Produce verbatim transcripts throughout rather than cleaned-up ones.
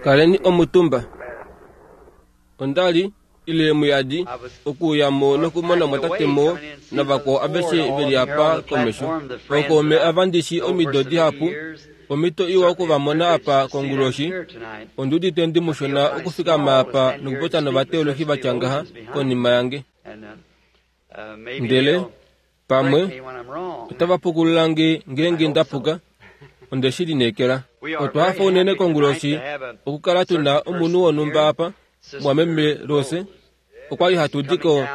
Kaleni omutumba. Onda li ile muyadi okuuya mo nokumona mwatate Moore navakwao aveshe ve li apa komesho. Ookaume ava ndi shi omido dihapu, omhito iwa oku va mona apa konguloshi. Ondi udite ndi mushona okufikama apa nokupopya novateolohi vatya ngaha konima yange. Ndele pamwe otava pukulula nge ngeenge nda puka. Onde shi lineekela. Otwa hafa unene konguloshi okukala tu na omunhu wonhumba apa, mwameme Rose. Okwa li hatu di ko,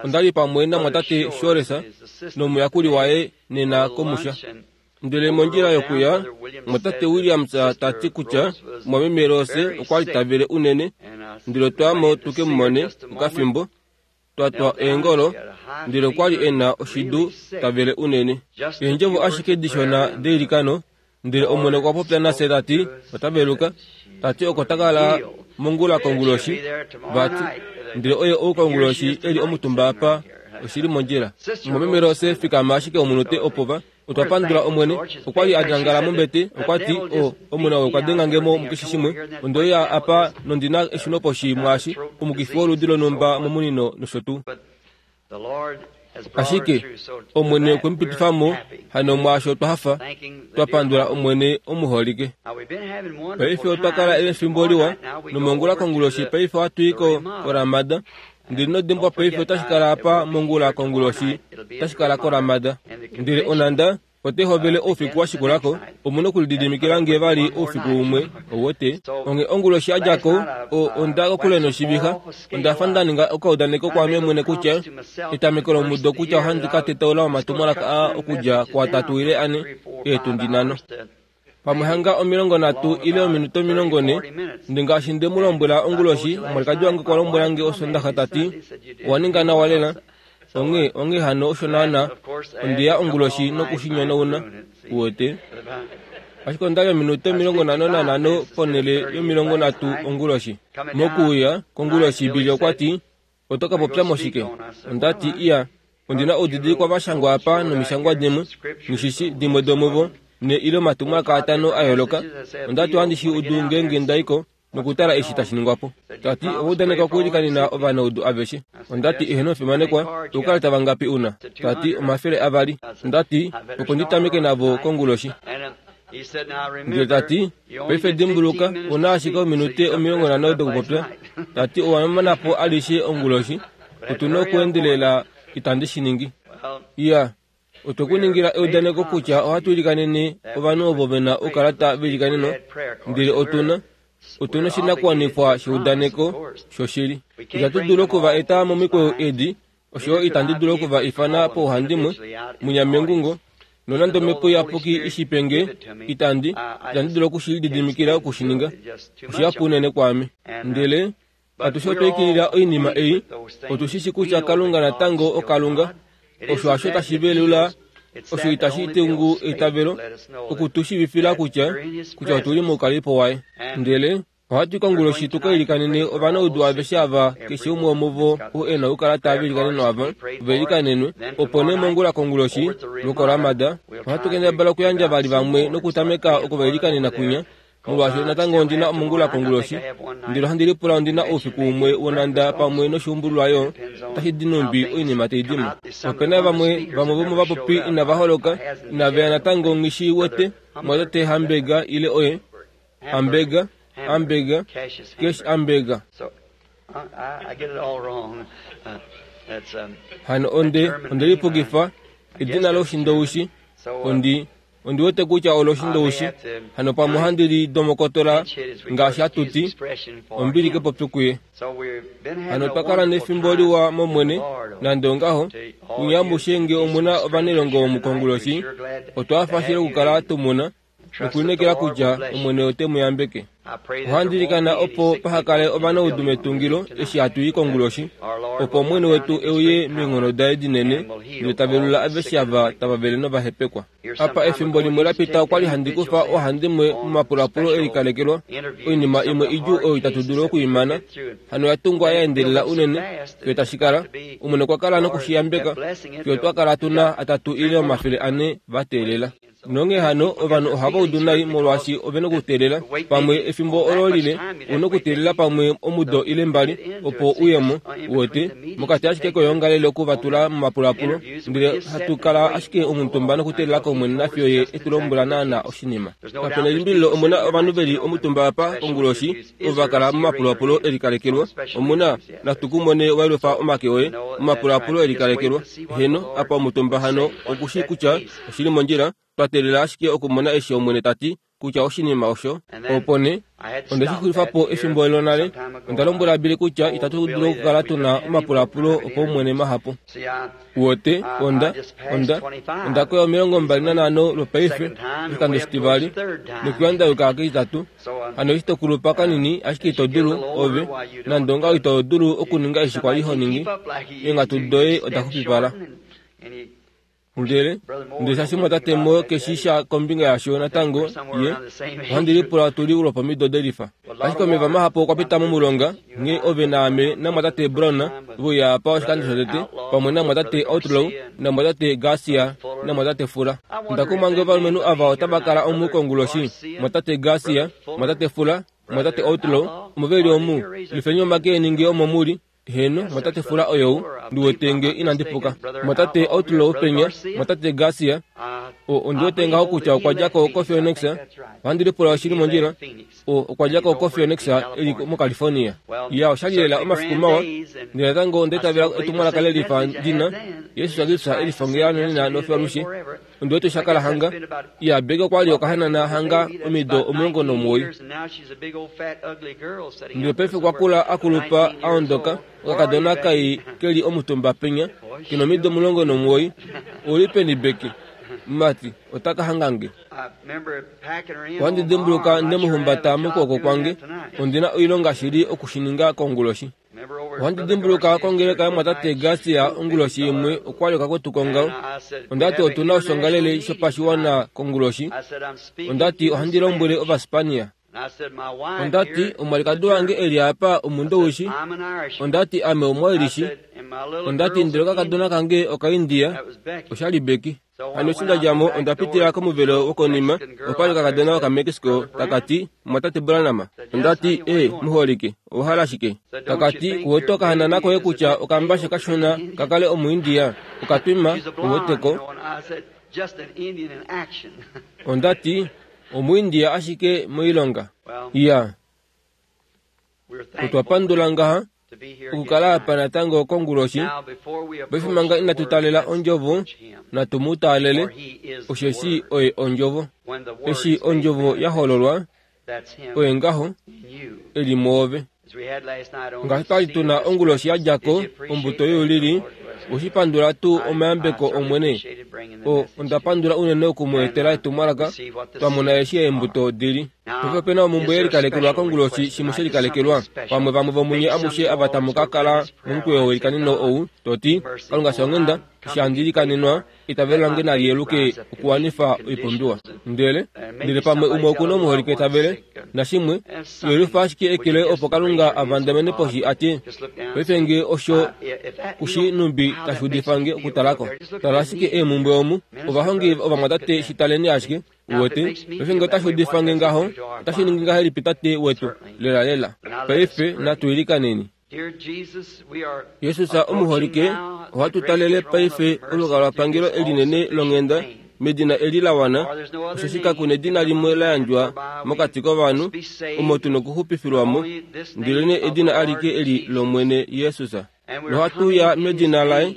onda li pamwe namwatate Shores nomuyakuli waye nena komusha. Ndele mondjila yokuya, mwatate Williams ta ti kutya mwameme Rose okwa li ta vele unene, ndele otwa ya mo tu ke mu mone okafimbo, twa twa eengolo, ndele okwa li e na oshidu ta vele unene. Eendjovo ashike dishona deilikano, ndele Omwene okwa popya nafye ta ti ota veluka, ta ti oko ta kala mongula konguloshi, vati, ndele oye ou konguloshi e li omutumba apa, oshi li mondjila. Mwameme Rose, fikama ashike omunute opo va. Otwa pandula Omwene. Okwa li a nangala mombete, okwa ti, O, Omwene ou okwa denga nge mo mukeshe shimwe. Onde uya apa nondi na eshunoposhi mwaashi, omukifi woludi lonhumba momunino nosho tuu. Ashike Omwene okwe mu pitifa mo, hano mwaasho otwa hafa, twa pandula Omwene omuholike. Paife otwa kala efimbo liwa, nomongula konguloshi paife ohatu i ko koRamada. Ndele ino dimbwa paife otashi kala apa mongula konguloshi, otashi kala koRamada. Ndele onhanda otai hovele oufiku wa shikula ko, omu na okulididimikila nge vali oufiku umwe, ouwete. Onghee onguloshi ya dja ko, o, onda kokule noshivixa. Onda fa nda ninga okaudaneko kwaame mwene kutya, etameko lomudo kutya ohandi ka tetaula omatumwalaka aa okudja kuatatu ile ane, eetundi nhano. Pamwe hanga omilongo nhatu ile ominute omilongo nhe. Ndi ngaashi nde mu lombwela onguloshi, omwalikadi wange okwa lombwela nge Osondaxa ta ti, Owa ninga nawa lela. Onghee, onghee hano osho naana, onde ya onguloshi noku shi nyonauna, uwete. Ashike onda li ominute omilongo nhano nanhano ponhele yomilongo nhatu onguloshi. Mokuuya konguloshi, Billy okwa ti, Oto ka popya mo shike? Onda ti, Iya, ondi na oudidilikwa va shangwa apa nomishangwa dimwe, nghi dimwe domuvo, ne ile omatumwalaka atano a yooloka. Onda ti ohandi shi udu ngeenge nda i ko nokutala eshi tashi ningwa po. Ta ti, Owa udaneka okwiilikanena ovanaudu aveshe. Onda ti, Eheno omufimanekwa, oukalata vangapi u na? Ta ti, Omafele avali. Onda ti, Opo ndi tameke navo konguloshi. Ndele ta ti, Paife dimbuluka, u na ashike ominute omilongo nhano dokupopya. Ta ti, Owa mana po alishe onguloshi. Otu na okuendelela. Itandi shi ningi. Iya, otwe ku ningila eudaneko kutya ohatu ilikanene ovanhu ovo ve na oukalata veilikaneno, ndele otu na otu na oshinakuwanifwa sheudaneko shoshili. Itatu dulu oku va eta momikweyo edi, osho yo itandi dulu oku va ifana pouhandimwe, munyamengungo, nonande Omhepo Iyapuki i shi pe nge, itandi, itandi dulu oku shi lididimikila oku shi ninga. Oshihapu unene kwaame. Ndele atushe otwa ikilila oinima ei, otu shi shi kutya Kalunga natango oKalunga. Osho hasho tashi velula, osho itashi tungu eitavelo, oku tu shiivifila kutya, kutya otu li moukalelipo waye. Ndele ohatu i konguloshi tu ka ilikanene ovanaudu aveshe ava, keshe umwe womuvo ou e na okukala tava ilikanenwa ava, va ilikanenwe. Opo nee mongula konguloshi, lwokoRamada, ohatu kendabala okuyandja vali vamwe nokutameka oku va ilikanena kwinya, molwaashi natango ondi na omongula konguloshi, ndele ohandi lipula ondi na oufiku umwe wonhanda pamwe noshuumbululwa yo, otashi di nhumbi oinima tai di mo. Ope na vamwe, vamwe vomovapopi inava holoka, inave ya natango nghi shi wete, mwatate Hamburger ile oye, Hamburger, Hamburger, Cash Hamburger. Hano onde, onde lipukifa, edina loshindoushi, ondi, Ondi wete kutya olo oshindoushi, hano pamwe ohandi li domokotola ngaashi hatu ti, ombili kepopyo kuye. Hano otwa kala nefimbo liwa mOmwene, nande ongaho, kunye amushe nge omu na ovanailongo womukonguloshi, otwa hafa shili okukala tu mu na, nokulineekela kutya Omwene ote mu yambeke. Ohandi ilikana opo paha kale ovanaudu metungilo eshi hatu i konguloshi, opo Omwene wetu e uye meenghono daye dinene ndele ta velula aveshe ava tava vele nova hepekwa. Apa efimbo limwe la pita okwa li handi kufa oohandimwe momapulapulo e likalekelwa, oinima imwe idjuu oyo itatu dulu oku i mana, hano ya tungwa ya endelela unene fiyo tashi kala, Omwene okwa kala noku shi yambeka fiyo twa kala tu na atatu ile omafele ane va teelela. Nonghee hano ovanhu ohava udu nai molwaashi ove na okuteelela pamwe efimbo olo lile, u na okuteelela pamwe omudo ile mbali opo uyemo, uwete, mokati ashike koyoongalele oku va tula momapulapulo, ndele hatu kala ashike omutumba nokuteelela kOmwene nafiyo Ye e tu lombwela naana oshinima. Kapena elimbililo omu na ovanhu ve li omutumba apa konguloshi ovo va kala momapulapulo e likalekelwa. Omu na, natu ku mone wa yelufa omake oye, momapulapulo e likalekelwa. Heno, apa omutumba hano oku shii kutya oshili mondjila, twa teelela ashike okumona eshi Omwene ta ti kutya oshinima osho. Opo nee, onde shi xulifa po efimbo lonale, onda lombwela Billy kutya itatu dulu okukala tu na omapulapulo opaumwene mahapu. Uwete, onda, onda, onda koya omilongo mbali nanhano lwopaife, oshikando shitivali, nokuya nda yuka ketitatu. Hano eshi to kulupa kanini, ashike ito dulu, ove, nande ongaho ito dulu okuninga eshi kwa li ho ningi, eenghatu doye oda xupipala. Ndele, ndele shaashi mwatate Mo ke shi sha kombinga yasho natango, ye, ohandi lipula otu li lwopomido delifa. Ashike omeva mahapu okwa pita momulonga, nghee ove naame namwatate Brown veuya apa oshikando shotete, pamwe namwatate Outlaw, namwatate Garcia, namwatate Fuller. Onda kumwa nge ovalumenhu ava otava kala omu konguloshi, mwatate Garcia, mwatate Fuller, mwatate Outlaw, omo ve li omu. Lifeni omake eni nge omo mu li. Heeno, mwatate Fula oyou, ndi wete nge inandi puka. Mwatate Outlaw penya, mwatate Garcia, o, ondi wete ngaho kutya okwa dja ko koPhoenix. Ohandi lipula oshili mondjila. O, okwa dja ko koPhoenix, e li moCalifornia. Ya, osha li lela omafiku mawa. Ndele natango onda itavela etumwalaka le lifa ndi na, Jesus Kristus e lifa nge nonena nofiyo alushe. Ondi wete osha kala hanga. Ya, Becky okwa li okahanana hanga omido omulongo nomuwoi. Ndele paife okwa kula a kulupa a ondoka, okakadona kai ke li omutumba penya, ke nomido omulongo nomuwoi. Ou li peni Becky? Mumati, ota ka hanga nge. Ohandi dimbuluka nde mu humbata mokwooko kwange. Ondi na oilonga shili oku shi ninga konguloshi. Ohandi dimbuluka kongeleka yomwatate Garcia onguloshi imwe okwa li okakwetu kongao. Onda ti otu na oshongalele shopashiwana konguloshi. Onda ti ohandi lombwele Ovaspania. Onda ti omwalikadi wange e li apa Omundowishi. Onda ti ame Omuairishi. Onda ti ndele okakadona kange Okaindia. Osha li Becky. Hano eshi nda dja mo, onda pitila komuvelo wokonima, opa li okakadona Okamexico taka ti, Mumwatate Branham. Onda ti, E, muholike, owa hala shike? Taka ti, Kuwete okahanana koye kutya okambashe kashona ka kale Omuindia, okatwima, u wete ko. Onda ti, Omuindia ashike moilonga. Iya. Otwa pandula ngaha okukala apa natango konguloshi. Paife manga inatu taalela Ondjovo, natu mu taalele, osheshi Oye Ondjovo. Eshi Ondjovo ya hololwa, Oye ngaho e li mwoove. Ngaashi twa li tu na onguloshi ya dja ko, ombuto youlili, oshi pandula tuu omayambeko Omwene? O, onda pandula unene oku mu etela etumwalaka, twa mona eshi eembuto di li. Paife ope na omumbwe ye likalekelwa konguloshi, shimwe she likalekelwa. Pamwe vamwe vomunye amushe ava tamu ka kala momukweyo weilikaneno ou, to ti, Kalunga fya onghenda, eshi handi ilikanenwa, eitavelo lange nali yeluke okuwanifa oipumbiwa. Ndele, ndele pamwe umwe oku na omuholike ta vele, nashimwe, yelufa ashike eke loye opo Kalunga a vandamene poshi a tye, Paife nge osho ku shi nhumbi tashi udifa nge okutala ko. Tala ashike eemumbwe omu, ovahongi ovamwatate shi taleni ashike. Uwete, paife nge otashi udifa nge ngaho, otashi ningi ngahelipi Tate wetu? Lelalela. Paife natu ilikaneni. Jesus omuholike, ohatu talele paife olukalwapangelo elinene longhenda medina eli la wana, osheshi kaku nedina limwe la yandjwa mokati kovanhu omo tu nokuxupifilwa mo, ndelenee edina alike eli lOmwene Jesus. Nohatu uya medina laye,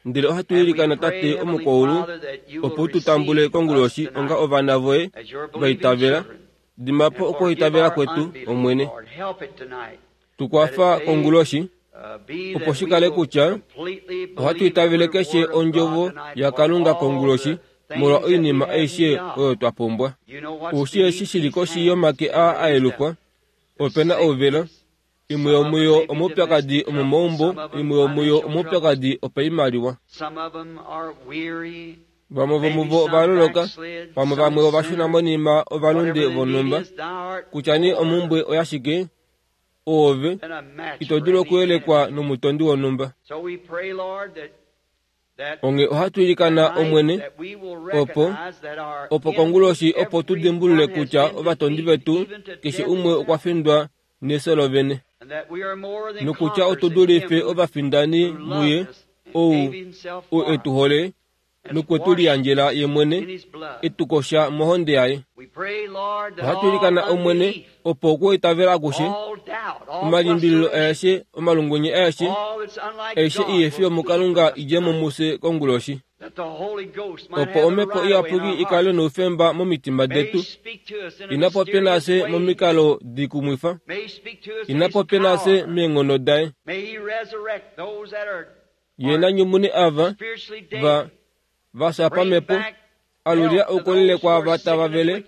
ndele ohatu ilikana Tate omukwaulu, opo u tu tambule konguloshi onga ovana voye va itavela. Dima po okuitavela kwetu, Omwene. Tu kwafa konguloshi, opo shi kale kutya ohatu itavele keshe ondjovo yaKalunga konguloshi molwa oinima aishe oyo twa pumbwa. Oushi eshi shi li koshi yomake aa a yelufwa, ope na ouvela, imwe yomuyo omaupyakadi omomaumbo, imwe yomuyo omaupyakadi opaimaliwa. Vamwe vomuvo ova loloka, pamwe vamwe ova shuna monima ovalunde vonhumba. Kutya nee omhumbwe oyashike, oove ito dulu okuyelekwa nomutondi wonhumba. Onge ohatu ilikana Omwene opo opo konguloshi opo tu dimbulule kutya ovatondi vetu keshe umwe okwa findwa nefyo lovene, nokutya otu dulife ovafindani muye ou ou e tu hole nokwe tu liyandjela ye mwene e tu kosha mohonde yaye. Ohatu ilikana Omwene opo okuitavela akushe, omalimbililo aeshe, omalungwenye aeshe, aishe ihefi yomukalunga idje mo mufye konguloshi, opo omhepo iyapuki ikale noufemba momitima detu, ina popye nafye momikalo dikumwifa, ina popye nafye meenghono daye. Ye na nyumune ava va va fya pamhepo, alulila oukolele kwaava tava vele,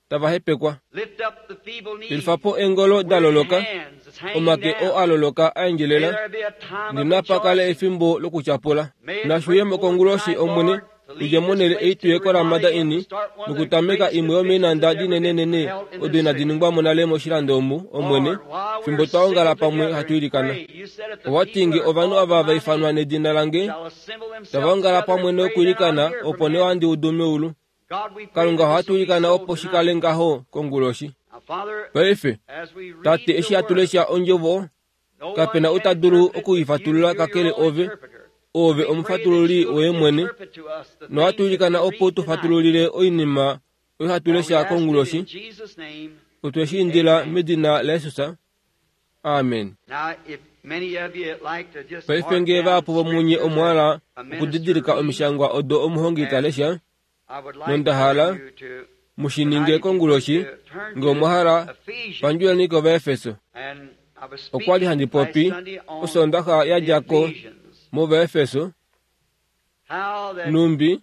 tava hepekwa. Yelifa po eengolo da loloka, omake oo a loloka a endjelela, ndinapa kale efimbo lokutyapula. Nashuye mo konguloshi Omwene, tudje monhele ei tuye koRamada Inn nokutameka imwe yomeenhanda dinenenene odo inadi ningwa mo nale moshilando omu, Omwene, fimbo twa ongala pamwe hatu ilikana. Owa ti nge ovanhu ava va ifanwa nedina lange tava ongala pamwe nokwiilikana, opo nee ohandi udu meulu. Kalunga ohatu ilikana opo shi kale ngaho konguloshi. Paife, Tate, eshi hatu lesha ondjovo, kapena ou ta dulu okuifatulula kakele ove, ove omufatululi woye mwene, nohatu ilikana opo tu fatululile oinima oyo hatu lesha konguloshi. Otwe shi indila medina laJesus. Amen. Paife nge vahapu vomunye omwa hala okudidilika omishangwa odo omuhongi ta lesha, nonda hala mu shi ninge konguloshi, nge omwa hala pandjuleni kOvaefeso. Okwa li handi popi Osondaxa ya dja ko mOvaefeso, numbi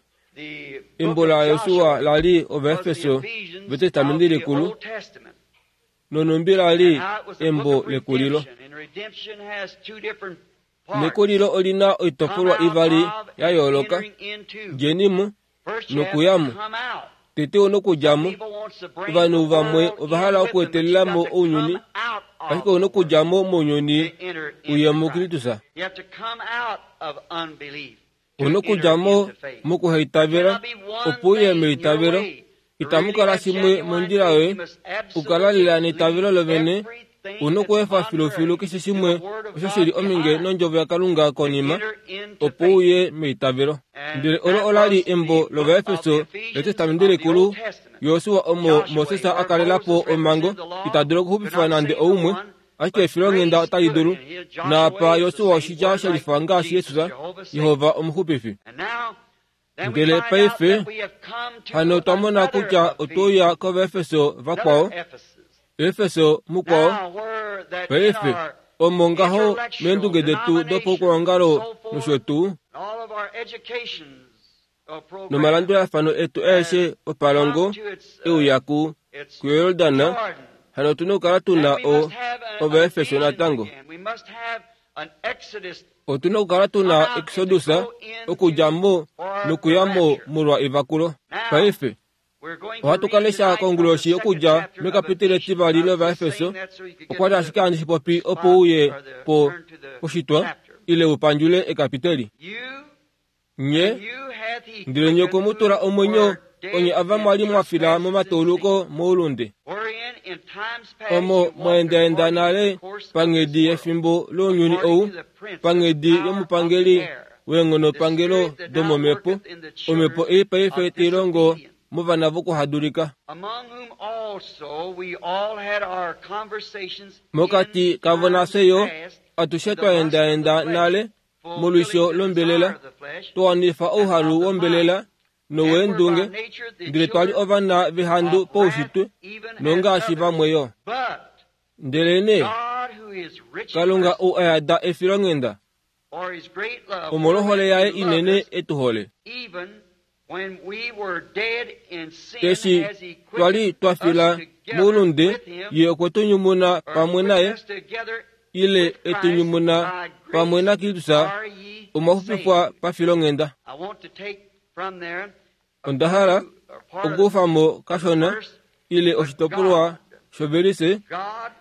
embo laJosua la li Ovaefeso vEtestamenti Likulu, nonumbi la li embo lekulilo. Nekulilo olina oitopolwa ivali ya yooloka, djeni mo nokuya mo. Tete onokudja mo. Ovanhu vamwe ova hala okuetelela mo ounyuni, ashike onokudja mo mounyuni uye muKristus. Onokudja mo mokuhaitavela opo uye meitavelo. Itamu kala shimwe mondjila yoye, okukala lela neitavelo lovene. Onokweefa filufilu keshe shimwe osho shili ominge nondjovo yaKalunga konima, opo uye meitavelo. Ndele olo ola li embo lOvaefeso lEtestamenti Likulu, Josua omo Moses a kalela po omhango, ita dulu okuxupifa nande oumwe, ashike efilonghenda otali dulu. Naapa Josua oshitya she lifa ngaashi Jesus, Jehova omuxupifi. Ndele paife hano otwa mona kutya otwe uya kOvaefeso vakwao, Efeso mukwao. Paife omo ngaho meendunge detu dopaukwaongalo nosho tuu nomalandulafano etu aeshe opalongo euya ku kuYordan, hano otu na okukala tu na o Ovaefeso natango. Otu na okukala tu na Exodus okudja mo nokuya mo molwa evakulo. Paife ohatu ka lesha konguloshi okudja mekapiteli etivali lOvaefeso. Okwa li ashike handi shi popi opo uye po poshitwa ile u pandjule ekapiteli. Nye ndele nye okwe mu tula omwenyo onye ava mwa li mwa fila momatauluko moulunde, omo mwa endaenda nale panghedi yefimbo lounyuni ou, panghedi yomupangeli weenghonopangelo domomhepo, omhepo ei paife tai longo movana vokuhadulika. Mokati kavo nafye yo atushe twa endaenda nale molwisho lombelela, twa wanifa ouhalu wombelela noweendunge, ndele twa li ovana vehandu poushitwe nongaashi vamwe yo. Ndelenee Kalunga ou a yada efilonghenda, omolwohole yaye inene e tu hole, eshi twa li twa fila moulunde, ye okwe tu nyumuna pamwe naye, ile e tu nyumuna pamwe naKristus, omwa xupifwa pafilonghenda. Onda hala okukufa mo kashona ile oshitopolwa shovelise,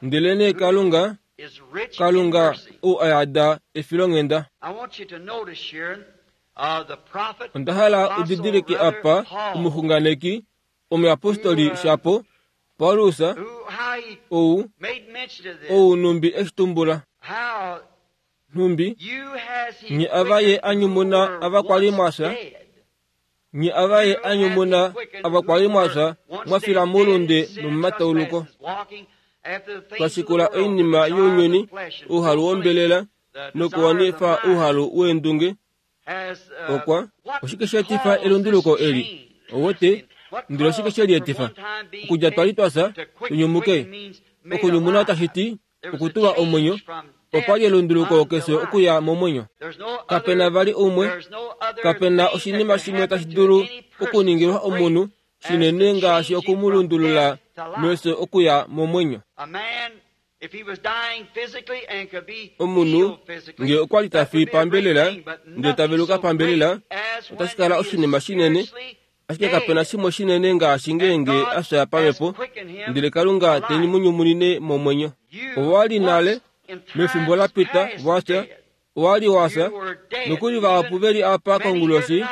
ndelenee Kalunga, Kalunga ou a yada efilonghenda. Onda hala udidilike apa omuxunganeki omuyapostoli shapo Paulus ou ou numbi eshitumbula numbi nye ava ye anyumuna ava kwali mwasa nye ava ye anyumuna ava kwali mwasa mwafila mulunde nomumatauluko twashikula oinima younyuni ouhalu wombelela nokuwanifa ouhalu weendunge okwa oshike sheetifa elunduluko eli owote ndele oshike shelietifa okudja twali twasa tunyumuke okunyumuna tashiti okutulwa omwenyo okwali elunduluko keshe okuya momwenyo kapena vali umwe kapena oshinima shimwe tashi dulu okuningilwa omunhu shinene ngaashi okumulundulula mefyo okuya momwenyo omunhu nge okwali tafi pambelela ndele taveluka pambelela otashi kala oshinima shinene ashike kapena shimwe shinene ngaashi ngeenge afya pamhepo ndele Kalunga te mu nyumunine momwenyo owali nale mefimbo lapita wafya owali wafya nokuli vahapu veli apa konguloshi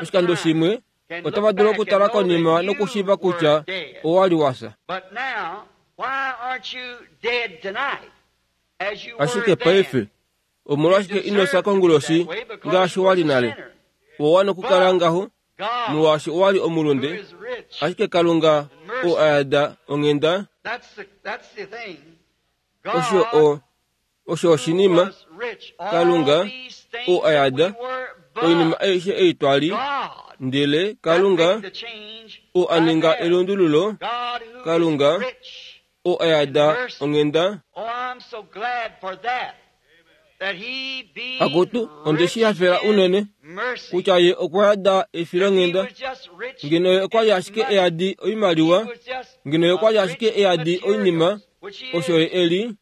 oshikando shimwe otava dulu okutala konima nokushiiva kutya owali wafya ashike paife omolwashike inofya konguloshi ngaashi wali nale owa nokukala ngaho molwaashi owali omulunde ashike Kalunga oo ayada onghenda osho o osho oshinima Kalunga oo ayada oinima aishe ei twali ndele Kalunga oo aninga elundululo Kalunga oo ayada onghenda akutu onde shi hafela unene kutya ye okwa yada efilonghenda ngeno ye okwali ashike eyadi oimaliwa ngeno ye okwali ashike eyadi oinima osho ye eli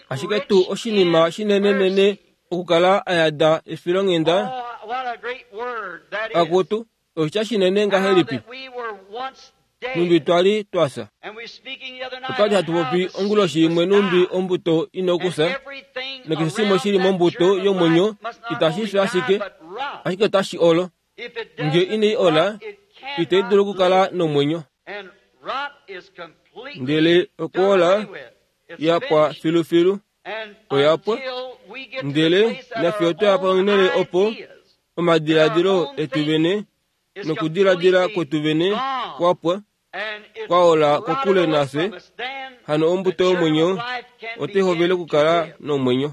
ashike tuu oshinima shinenenene okukala ayada efilonghenda akutu oshitya shinene ngahelipi numbi twali twasa otwali hatu popi onguloshi imwe numbi ombuto inokusa nakeshe shimwe shili mombuto yomwenyo itashi fi ashike ashike otashi olo nge inai ola itai dulu okukala nomwenyo ndele okuola yapwa filufilu oyapwa ndele nafye otwaya onhele opo omadiladilo etu vene nokudiladila kwetu vene kwapwa kwaola kokule nafye hano ombuto yomwenyo otai hovele okukala nomwenyo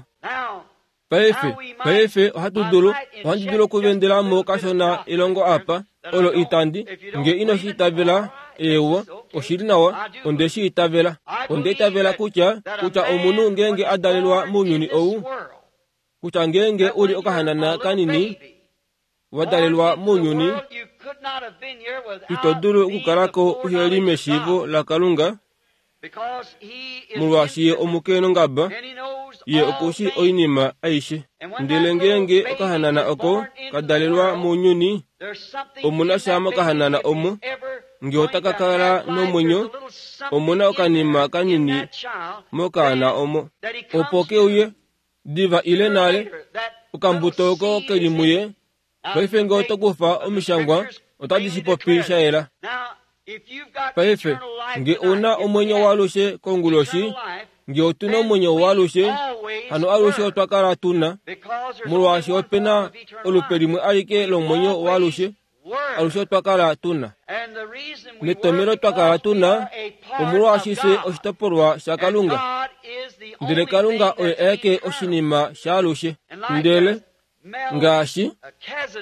paife paife ohatu dulu ohandi dulu okuvendelamo kashona elongo apa olo itandi nge ino shi itavela eewa oshili nawa onde shi itavela onde itavela kutya kutya omunhu ngeenge adalelwa mounyuni ou kutya ngeenge uli okahanana kanini wadalelwa mounyuni ito dulu okukalako uheli meshiivo laKalunga molwaashi ye omukenongaba ye okushi oinima aishe ndele ngeenge okahanana oko kadalelwa mounyuni omuna sha mokahanana omo nge otaka kala nomwenyo omuna okanima kanini mokaana omo opo keuye diva ile nale okambuto oko keli muye paife nge otokufa omishangwa otadi shi popi sha yela paife nge una omwenyo waalushe konguloshi nge otuna omwenyo waalushe hano alushe otwa kala tuna molwaashi opena olupe limwe alike lomwenyo waalushe alushe otwa kala tuna netomelo twa kala tuna omolwaashi fye oshitopolwa shaKalunga ndele Kalunga oye aeke oshinima shaalushe ndele ngaashi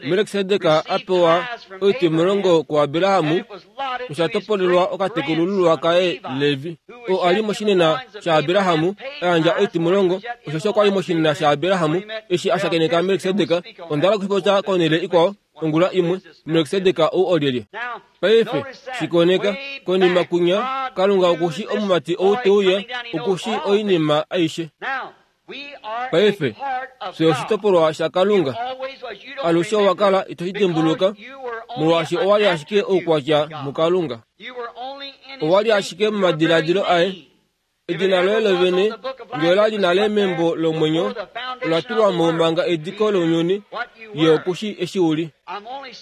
Melkisedek apewa oitimulongo kuAbrahamu osha topolelwa okatekulululwa kaye Levi oo ali moshinena shaAbrahamu ayandja oitimulongo osho okwali moshinena shaAbrahamu eshi ashakeneka Melkisedek ondala okushipopya konhele ikwao ongula imwe Melkisedek ou olyelye paife shikoneka konima kunya Kalunga okushi omumati ou teuya okushi oinima aishe paife fye oshitopolwa shaKalunga alushe owakala ito shi dimbuluka molwaashi owali ashike oukwatya muKalunga owali ashike momadiladilo aye edina loye lovene nge olali nale membo lomwenyo Ola tulwa mo manga ediko lounyuni, ye okushi eshi uli.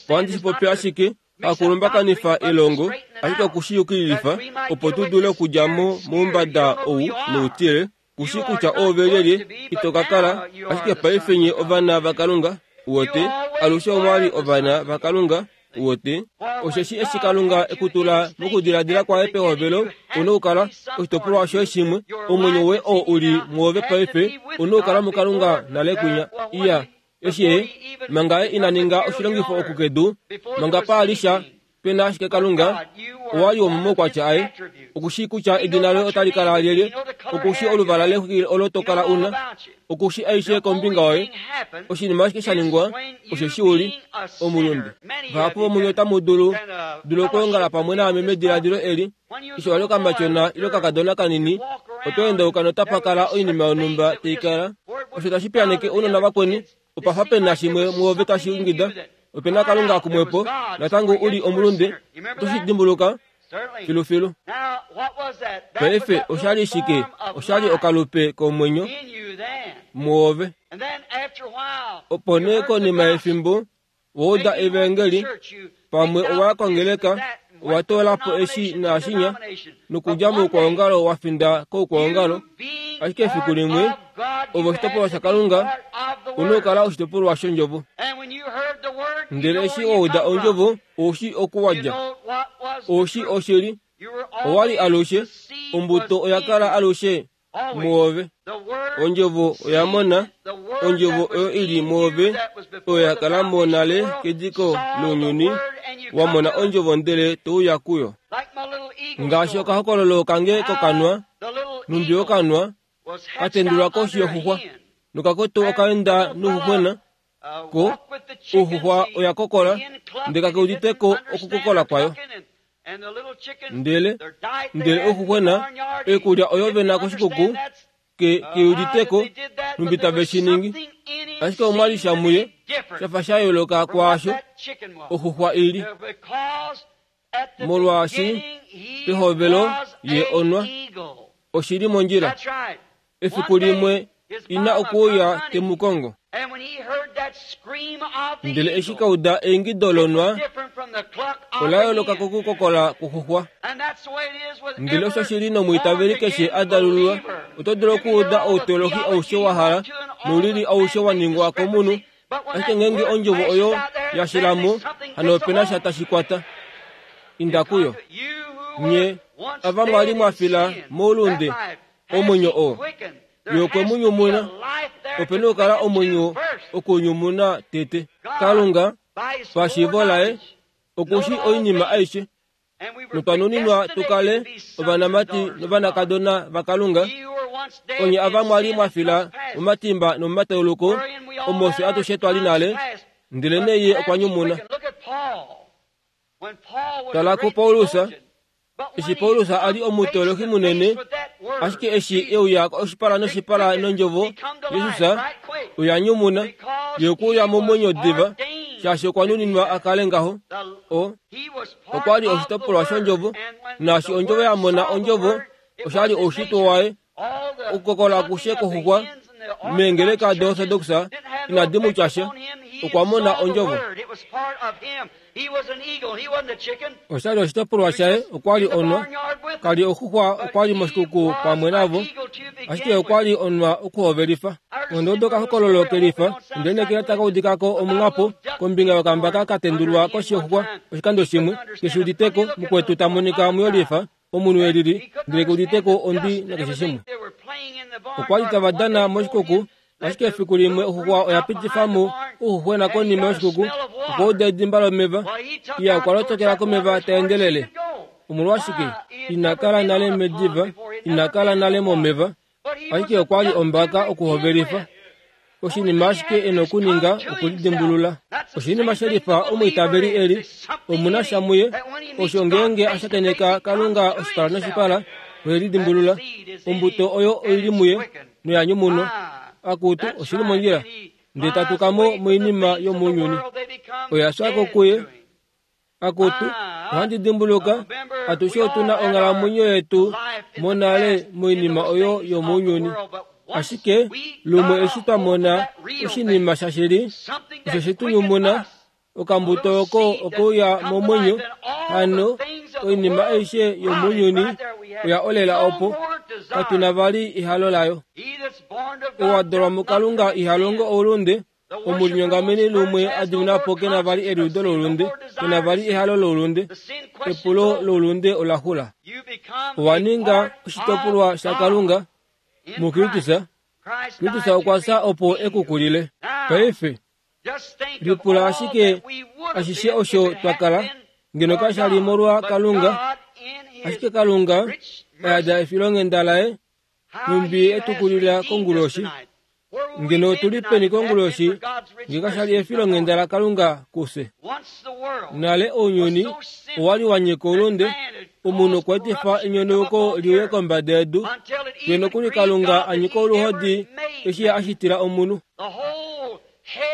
Ohandi shi popi ashike, hakulumbakanifwa elongo, ashike okushiyukililifa, opo tu dule okudja mo moumbada ou noutile, kushi kutya oove lyelye, ito ka kala, ashike paife nye ovana vaKalunga, uwete, alushe omwali ovana vaKalunga, uwete, osheshi eshi Kalunga ekutula mokudiladila kwaye pehovelo, una okukala oshitopolwa shoye shimwe, omwenyo woye oo uli mwoove paife, una okukala muKalunga nale kwinya. Iya, eshi ye, manga ye ina ninga oshilongifo okukedu, manga paalisha, pena ashike Kalunga, owali womomaukwatya aye, okushi kutya edina loye otali kala lyelye, okushi oluvala lexwiki olo to kala una, okushi aishe kombinga yoye. Oshinima ashike sha ningwa, osheshi uli omulunde. Vahapu vomunye otamu dulu dulu okwoongala pamwe naame mediladilo eli, eshi wali okamatyona ile okakadona kanini, oto endauka notapa kala oinima yonhumba tai kala. Osho tashi piyaneke ounona vakweni, opa fa pena shimwe mwoove tashi ingida, opena Kalunga kumwepo, natango uli omulunde, oto shi dimbuluka filufilu. Paife oshali shike? Oshali okalupe komwenyo mwoove. Opo nee konima yefimbo, wa uda evangeli, pamwe owa kongeleka, owa toola po eshi naashinya, nokudja moukwaongalo wa finda koukwaongalo, ashike efiku limwe, ove oshitopolwa shaKalunga, una okukala oshitopolwa shondjovo. Ndele eshi wa uda ondjovo, oushi okuwadja. Oushi oshili, owali alushe, ombuto oya kala alushe mwoove. Ondjovo oya mona, ondjovo oyo ili mwoove, oyo ya kala mo nale kediko lounyuni, wa mona ondjovo ndele to uya kuyo. Ngaashi okahokololo kange kokanwa, numbi okanwa, katendulwa koshi yoxuxwa, nokakoto okaenda nouxuxwena, ko ouxuxwa oya kokola, ndele kakeuditeko okukokola kwayo. Ndele, ndele ouxuxwena, oikulya oyo vena koshikuku, ke keuditeko, numbi tave shi ningi. Ashike omwali sha muye, shafa sha yooloka kwaasho oxuxwa ili. Molwaashi pehovelo ye onwa, oshili mondjila. Efiku limwe ina okuuya te mu kongo. Ndele eshi kauda eingido lonwa, ola yooloka kokukokola kwoxuxwa. Ndele osho shili nomwiitaveli keshe a dalululwa, oto dulu okuuda outeolohi aushe wa hala, noulili aushe wa ningwa komunhu, ashike ngeenge ondjovo oyo ya shila mo, hano opena sha tashi kwata. Inda kuyo. Nye, ava mwali mwa fila moulunde, omwenyo oo, ye okwe mu nyumuna, opena okukala omwenyo okunyumuna tete. Kalunga, pashiivo laye, okushi oinima aishe, notwa nuninwa tu kale ovanamati novanakadona vaKalunga, onye ava mwali mwa fila momatimba nomomatauluko, omo fye atushe twali nale, ndele nee ye okwa nyumuna. Tala kuPaulus, eshi Paulus a li omuteolohi munene, ashike eshi e uya oshipala noshipala nondjovo Jesus, oya nyumuna, ye okuuya momwenyo diva, shaashi okwa nuninwa a kale ngaho. O, okwa li oshitopolwa shondjovo, naashi ondjovo ya mona ondjovo, oshali oushitwe waye, okukokola akushe kwoxuxwa meengeleka doOrthodox inadi mu tya sha, okwa mona ondjovo. Oshali oshitopolwa shaye, okwa li onwa, kali oxuxwa, okwa li moshikuku pamwe navo, ashike okwa li onwa okuhovelifa. Ondodo okahokololo kelifa, ndele nekela taka udikako omunghapo kombinga yokambaka ka tendulwa koshi yoxuxwa oshikando shimwe, keshi uditeko, mukwetu ta monika muyolifa, omunhu elili, ndele keuditeko ondwi nakeshe shimwe. Okwa li tava dana moshikuku, ashike efiku limwe oxuxwa oya pitifa mo ouxuxwena konima yoshikuku, okwa uda edimba lomeva, iya okwa lotokela komeva ta endelele. Omolwashike? Ina kala nale mediva, ina kala nale momeva, ashike okwa li ombaka okuhovelifa. Oshinima ashike e nokuninga okulidimbulula. Oshinima shelifa omwiitaveli eli, omuna sha muye, osho ngeenge a shakeneka Kalunga oshipala noshipala, ohe lidimbulula. Ombuto oyo oili muye, noya nyumunwa. Akutu, oshili mondjila, ndele tatuka mo moinima yomounyuni. Oya fya ko kuye. Akutu, ohandi dimbuluka, atushe otu na onghalamwenyo yetu monale moinima oyo yomounyuni. Ashike lumwe eshi twa mona oshinima shashili, osho she tu nyumuna, okambuto oko okeuya momwenyo, hano oinima aishe yomounyuni oya olela opo, katuna vali ehalo layo. Ou a dalwa muKalunga iha longo oulunde, omulinyongameni lumwe a dimina po kena vali eliudo loulunde, kena vali ehalo loulunde, epulo loulunde ola xula. Owa ninga oshitopolwa shaKalunga muKristus. Kristus okwa fya opo e ku kulile. Paife, lipula ashike ashishe osho twa kala, ngeno kasha li molwa Kalunga, ashike Kalunga ayada efilonghenda laye, nhumbi e tu kulila konguloshi. Ngeno otuli peni konguloshi, nge kasha li efilonghenda laKalunga kufye. Nale ounyuni owa li wa nyika oulunde, omunhu okwa etifa enyonauko liuye kombada yedu, fiyo nokuli Kalunga a nyika oluhodi eshi a shitila omunhu.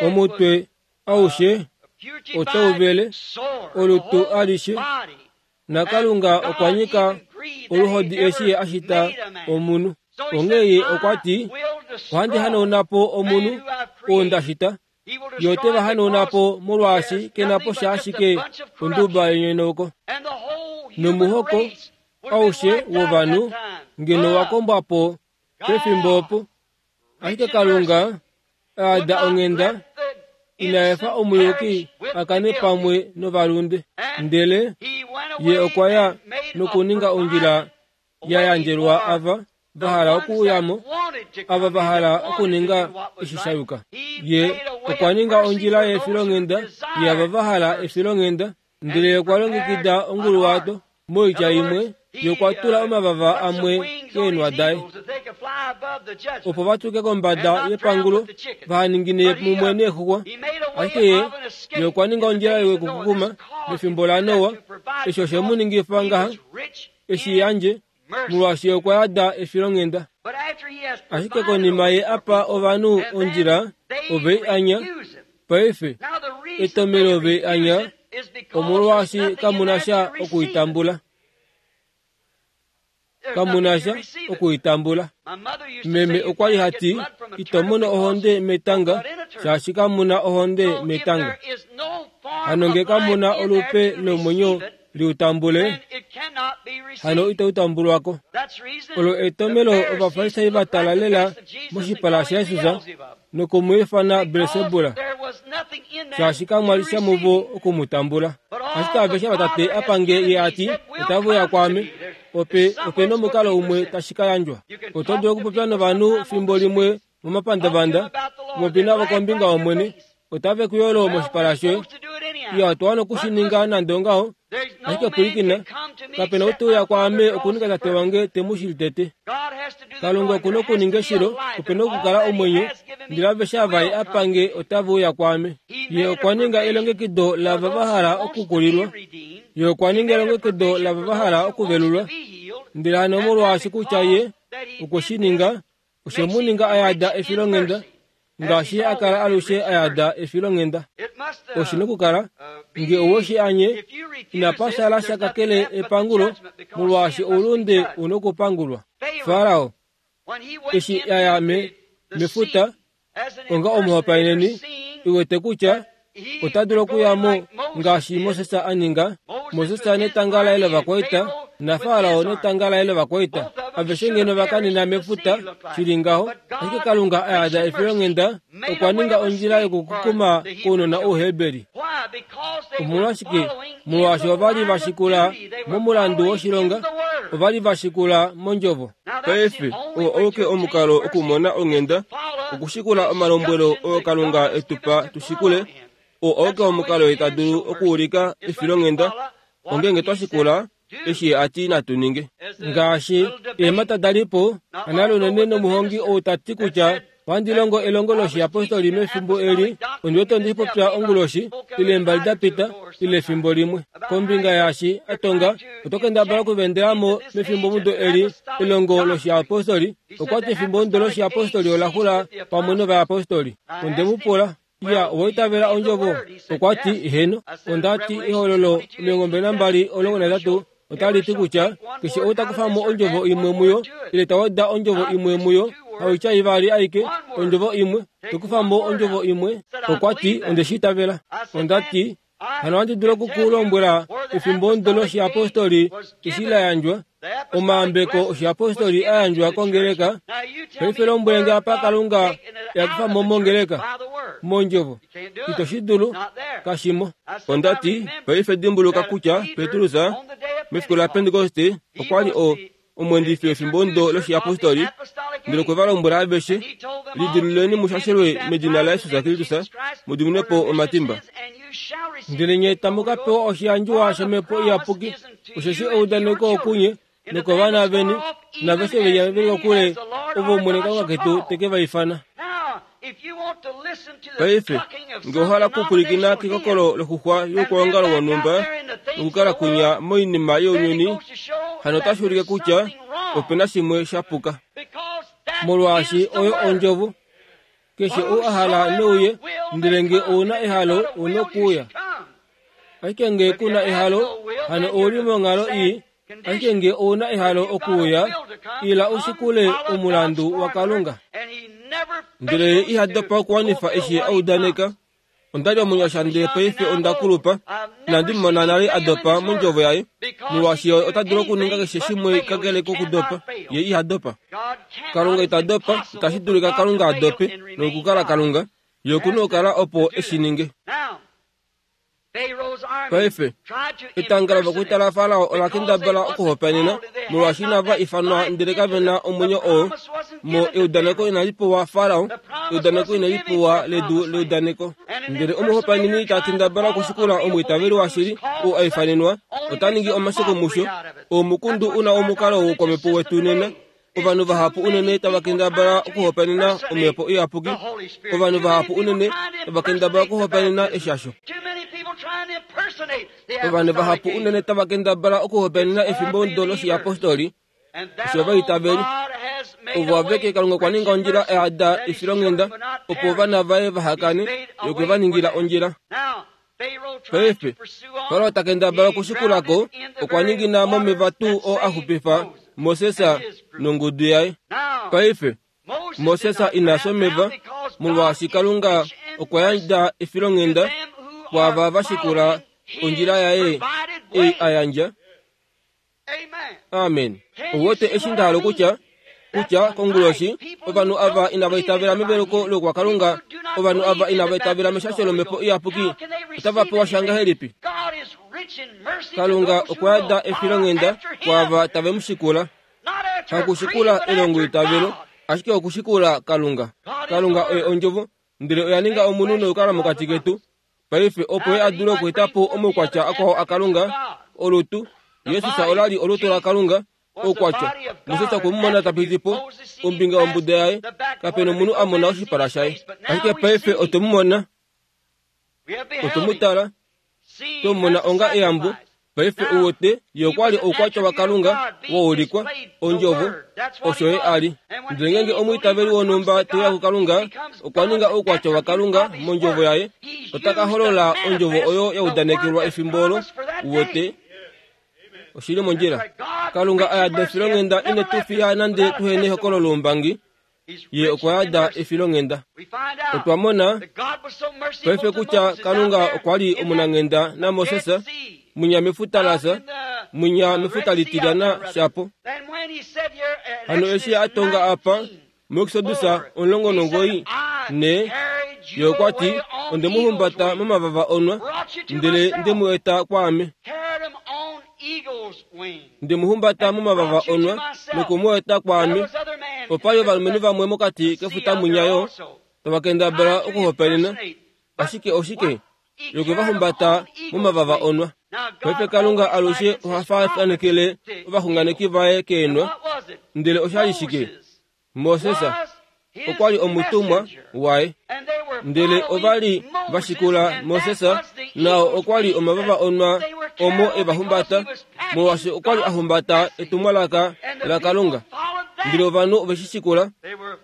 Omutwe aushe otau vele, olutu alishe, naKalunga okwa nyika oluhodi eshi a shita omunhu. Onghee ye okwa ti, ohandi hanauna po omunhu oo nda shita, ye ote va hanauna po molwaashi kena po sha ashike onduba yenyonauko. Nomuhoko aushe wovanhu ngeno wa kombwa po pefimbo opo, ashike Kalunga ayada onghenda, ina efa omuyuki a kane pamwe novalunde. Ndele ye okwa ya nokuninga ondjila ya yandjelwa ava va hala okuuyamo, ava va hala okuninga eshi sha yuka. Ye okwa ninga ondjila yefilonghenda yaava va hala efilonghenda, ndele okwa longekida onguluwato. Moitya imwe, ye okwa tula omavava amwe keenwa daye, opo va tuke kombada yepangulo, vaha ningine mumwe neexuxwa. Ashike ye, ye okwa ninga ondjila yokukukuma mefimbo laNoa, eshi oshe mu ningifa ngaha, eshi yandje, molwaashi okwa yada efilonghenda. Ashike konima ye apa ovanhu ondjila, ove i anya. Paife, etomelo ove i anya, omolwaashi kamuna sha okuitambula. Kamuna sha okuitambula. Meme okwa li hati, ito mono ohonde metanga, shaashi kamuna ohonde metanga. Hano nge kamuna olupe lomwenyo liutambule, hano itautambulwako. Olo etomelo Ovafarisai va tala lela moshipala shaJesus noku mu ifana Belsebula, shaashi kamwa li sha muvo oku mu tambula. Ashike aveshe vatate apange ye ati, otava uya kwaame, ope ope nomukalo umwe tashi ka yandjwa. Oto dulu okupopya novanhu fimbo limwe momapandavanda, popi navo kombinga yOmwene, otave ku yolo moshipala shoye. Iya, otwa wana okushininga nande ongaho, ashike pwilikina, kapena ou te uya kwaame okuninga tate wange te mu shili tete. Kalunga okuna okuninga eshilo, opena okukala omwenyo, ndele aveshe ava ye apange otava uya kwaame. Ye okwa ninga elongekido lava va hala okukulilwa, ye okwa ninga elongekido lava va hala okuvelulwa, ndele hano molwaashi kutya ye okwe shi ninga, oshe mu ninga ayada efilonghenda, ngaashi a kala alushe ayada efilonghenda. Oshi nokukala, nge owe shi anye, inapa shala sha kakele epangulo, molwaashi oulunde u nokupangulwa. Farao, eshi a ya me, mefuta, onga omuhopaeneni, i wete kutya ota dulu okuya mo ngaashi Moses a ninga. Moses netanga laye lovakwaita, naFarao netanga laye lovakwaita, aveshe ngeno va kanina mefuta, shili ngaho. Ashike Kalunga ayada efilonghenda, okwa ninga ondjila yokukukuma kounona Ouheberi. Omolwashike? Molwaashi ova li va shikula momulandu woshilonga, ova li va shikula mondjovo. Paife, oo auke omukalo okumona onghenda, okushikula omalombwelo oo Kalunga e tu pa tu shikule. Oo auke omukalo ye ta dulu okuulika efilonghenda, ongenge twa shikula eshi a ti natu ninge. Ngaashi eemhata da li po, anale unene nomuhongi ou ta ti kutya ohandi longo elongo loshiyapostoli mefimbo eli, ondi wete ondi popya onguloshi, ile mbali da pita, ile efimbo limwe. Kombinga yaashi a tonga, oto kendabala okuvendela mo mefimbomudo eli elongo loshiyapostoli. Okwa ti efimbomudo loshiyapostoli ola xula pamwe novayapostoli. Onde mu pula, iya, owa itavela ondjovo? Okwa ti, heno. Onda ti ehololo omilongo mbali nambali omulongo nahetatu otali ti kutya keshe ou ta kufa mo ondjovo imwe muyo, ile ta weda ondjovo imwe muyo, Hawicha ivali aike ondjovo imwe tokufa mo ondjovo imwe. Okwa ti onde shi itavela. Onda ti hano ohandi dulu okukulombwela efimbo ndo loshiapostoli eshi la yandjwa, omaambeko oshiapostoli a yandjwa kongeleka. Paife lombwelenge apa Kalunga yakufa mo mongeleka mondjovo. Ito shi dulu, kashimo. Onda ti paife dimbuluka kutya Petrus mefiku la Pentekoste okwa li o omwendifi wefimbo ndo loshiapostoli, ndele okwe va lombwela aveshe, lidiluleni mushashelwe medina laJesus Kristus mu po omatimba, ndele nye tamu ka pewa oshiyandjiwa shomhepo iyapuki, osheshi eudaneko okunye nokovana veni naveshe venya veli kokule ovo Omwene Kalunga ketu teke va ifana. Paife nge ohala okupwilikina kekokolo loxuxwa youkwaongalo wonhumba nokukala kunya moinima younyuni, hano otashi ulike kutya opena shimwe sha puka, molwaashi oyo ondjovo. Keshe ou a hala neuye, ndele nge ouna ehalo ouna okuuya. Ashike nge kuna ehalo, hano ouli monghalo ii. Ashike nge ouna ehalo okuuya, ila ushikule omulandu waKalunga. Ndele iha dopa okuwanifa eshi a udaneka. Onda li omunyasha ndele paife onda kulupa, inandi mona nale a dopa mondjovo yaye, molwaashi ota dulu okuninga keshe shimwe kakele kokudopa. Ye iha dopa. Kalunga ita dopa, itashi dulika Kalunga a dope nokukala Kalunga. Ye okuna okukala opo eshi ninge. Paife etanga lovakwaita laFarao ola kendabala okuhopaenena, molwaashi inava ifanwa ndele kave na omwenyo oo. Mo eudaneko inali pewa Farao, eudaneko inali pewa ledu leudaneko. Ndele omuhopaeneni ta kendabala okushikula omwiitaveli washili oo a ifanenwa, ota ningi omasheko musho. Omukundu una omukalo woukwamhepo wetu nena. Ovanhu vahapu unene tava kendabala okuhopaenena omhepo iyapuki. Ovanhu vahapu unene tava kendabala okuhopaenena eshasho. Ovanhu vahapu unene tava kendabala okuhopaenena efimbo ndo loshiapostoli osho vaitaveli. Ovo aveke Kalunga okwa ninga ondjila eyada efilonghenda opo ovana vaye vahakane, ye okwe va ningila ondjila. Paife Farao ta kendabala okushikulako, okwa ningina momeva tuu oo a xupifa Moses nongudu yaye. Paife Moses ina fya omeva, molwaashi Kalunga okwa yandja efilonghenda kwaava va shikula ondjila yaye ei a yandja. Amen. Ouwete eshi nda hala okutya? Kutya konguloshi ovanhu ava inava itavela meveluko loukwakalunga, ovanhu ava inava itavela meshasho lomhepo iyapuki, otava pewa sha ngahelipi? Kalunga okwa yada efilonghenda kwaava tave mu shikula, hakushikula elongo itavelo, ashike okushikula Kalunga. Kalunga oye ondjovo, ndele oya ninga omunhu nokukala mokati ketu. Paife opo ye a dule okueta po omaukwatya akwao aKalunga, olutu Jesus ola li olutu laKalunga, oukwatya. Moses okwe mu mona ta piti po ombinga yombuda yaye, kapena omunhu a mona oshipala shaye. Ashike paife otwe mu mona, otwe mu tala, twe mu mona onga eyambo. Paife ouwete ye okwa li oukwatya waKalunga waulikwa, ondjovo, osho ye a li. Ndele ngeenge omwiitaveli wonhumba te uya kuKalunga, okwa ninga oukwatya waKalunga mondjovo yaye, ota ka holola ondjovo oyo ya udanekelwa efimbo olo. Uwete oshili mondjila. Kalunga a yada efilonghenda ine tu fiya nande tuhene ehokololo loumbangi. Ye okwa yada efilonghenda. Otwa mona paife kutya Kalunga okwa li omunanghenda naMoses munya mefuta lasa, munya mefuta litilyana shapo. Hano eshi a tonga apa muExodus omulongo nongoi ne, ye okwa ti, onde mu humbata momavava onwa, ndele nde mu eta kwaame. Nde mu humbata momavava onwa noku mu eta kwaame. Opa li ovalumenhu vamwe mokati kefuta munya yo tava kendabala okuhopaenena, ashike oshike? Ye okwe va humbata momavava onwa. Paife Kalunga alushe oha faafanekele ovaxunganeki vaye keenwa. Ndele osha li shike? Moses okwa li omutumwa waye, ndele ova li va shikula Moses, nao okwa li omavava onwa omo e va humbata, molwaashi okwa li a humbata etumwalaka laKalunga. Ndele ovanhu ove shi shikula,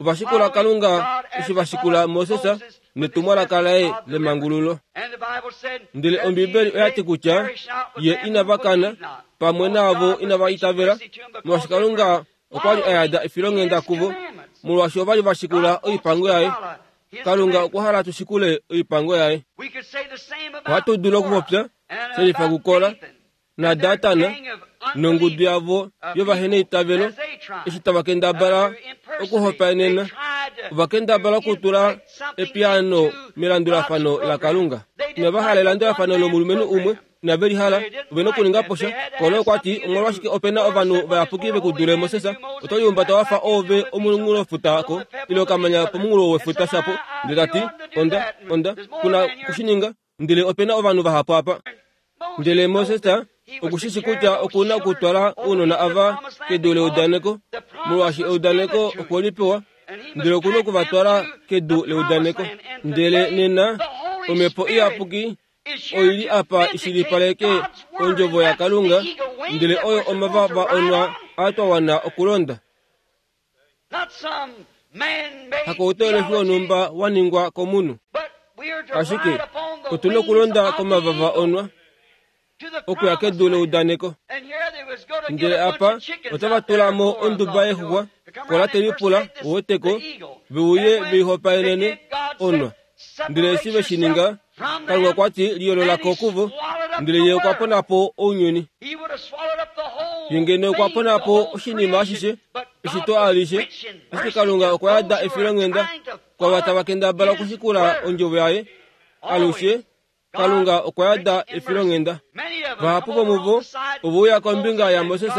ova shikula Kalunga eshi va shikula Moses netumwalaka laye lemangululo. Ndele Ombibeli oya ti kutya ye inava kana pamwe naavo inava itavela, molwaashi Kalunga okwa li a yada efilonghenda kuvo, Molwaashi ova li va shikula oipango yaye. Kalunga okwa hala tu shikule oipango yaye. Ohatu dulu okupopya shelifa kuKora naDatan nongudu yavo yovaheneitavelo eshi tava kendabala okuhopaenena. Ova kendabala okutula epiyaano melandulafano laKalunga. Inava hala elandulafano lomulumenhu umwe, inave li hala, ove na okuninga po sha. Kora okwa ti, omolwashike ope na ovanhu vayapuki ve ku dule Moses? Oto lihumbata wa fa oove omunghulofuta ko, ile okamanya pomunghulo wefuta shapo. Ndele ta ti, onda, onda, kuna okushininga, ndele ope na ovanhu vahapu apa. Ndele Moses okushishi kutya okuna okutwala ounona ava kedu leudaneko, molwaashi eudaneko okwe li pewa, ndele okuna okuvatwala kedu leudaneko. Ndele nena omhepo iyapuki oili apa ishilipaleke ondjovo yaKalunga, ndele oyo omavava onwa a twa wana okulonda. Hakouteolefi wonhumba wa ningwa komunhu, ashike otu na okulonda komavava onwa okuya kedu leudaneko. Ndele apa otava tula mo onduba yexuxwa, Kora te lipula woteko veuye veihopaenene onwa. Ndele eshi ve shi ninga, Kalunga okwa ti liyoolola ko kuvo, ndele ye okwa pona po ounyuni. Ye ngeno okwa pona po oshinima ashishe, eshito alishe, ashike Kalunga okwa yada efilonghenda kwava tava kendabala okushikula ondjovo yaye. Alushe Kalunga okwa yada efilonghenda. Vahapu vomuvo ove uya kombinga yaMoses,